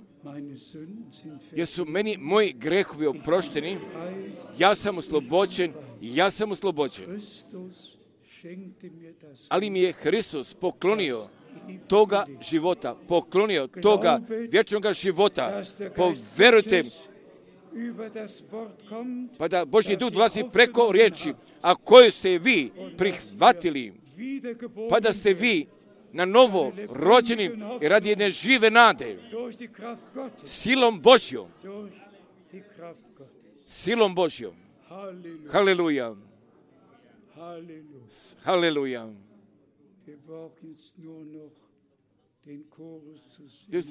jer su meni moji grehovi oprošteni, ja sam oslobođen. Ali mi je Hristos poklonio toga života, poklonio toga vječnoga života. Poverujte, pa da Božji duh dolazi preko riječi, a koju ste vi prihvatili, pa da ste vi na novo rođeni i radi jedne žive nade, silom Božjom. Haleluja. Haleluja.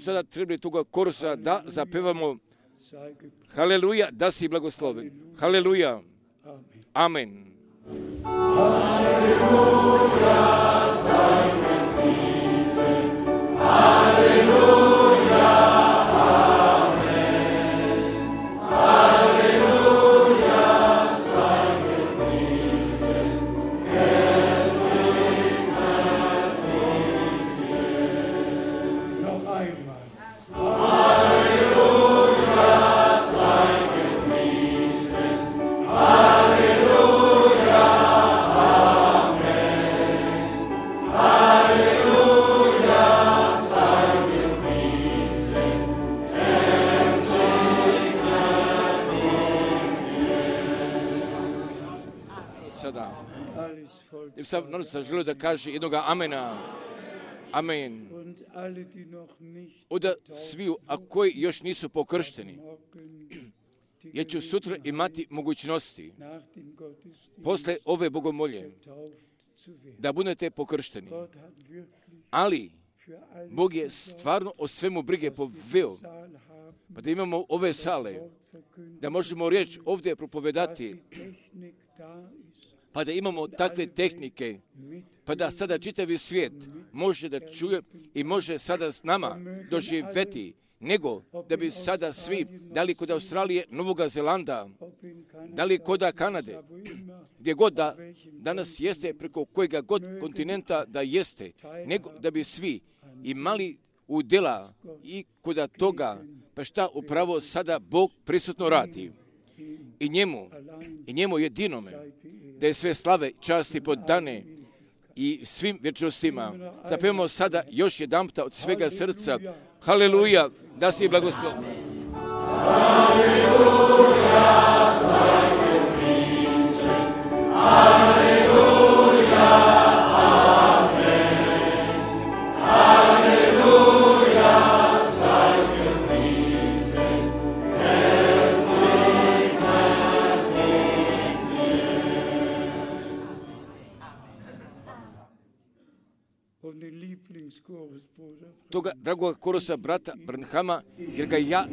Sada trebali toga korusa da zapevamo Haleluja, da si blagosloven. Haleluja. Amen. Haleluja, sei gepriesen. Haleluja, amen. Haleluja, sei gepriesen. Gesegnet ist er. Noch einmal. Haleluja, sei gepriesen. Haleluja, amen. Haleluja, sei gepriesen. Sada, sam noća želio da kaže jednoga amena. Amen. Od sviju, a koji još nisu pokršteni, jer ću sutra imati mogućnosti, posle ove bogomolje, da budete pokršteni. Ali, Bog je stvarno o svemu brige poveo, pa da imamo ove sale, da možemo riječ ovdje propovedati, pa da imamo takve tehnike, pa da sada čitavi svijet može da čuje i može sada s nama doživjeti, nego da bi sada svi, da li kod Australije, Novoga Zelanda, da li kod Kanade, gdje god da danas jeste, preko kojega god kontinenta da jeste, nego da bi svi imali udjela i kod toga, pa šta upravo sada Bog prisutno radi. I njemu jedinome, da je sve slave, časti podane i svim vječnostima. Zapevamo sada još jedanputa od svega srca. Haleluja, da si blagosloven. toga dragog Korosa, brata Branhama, jer ga ja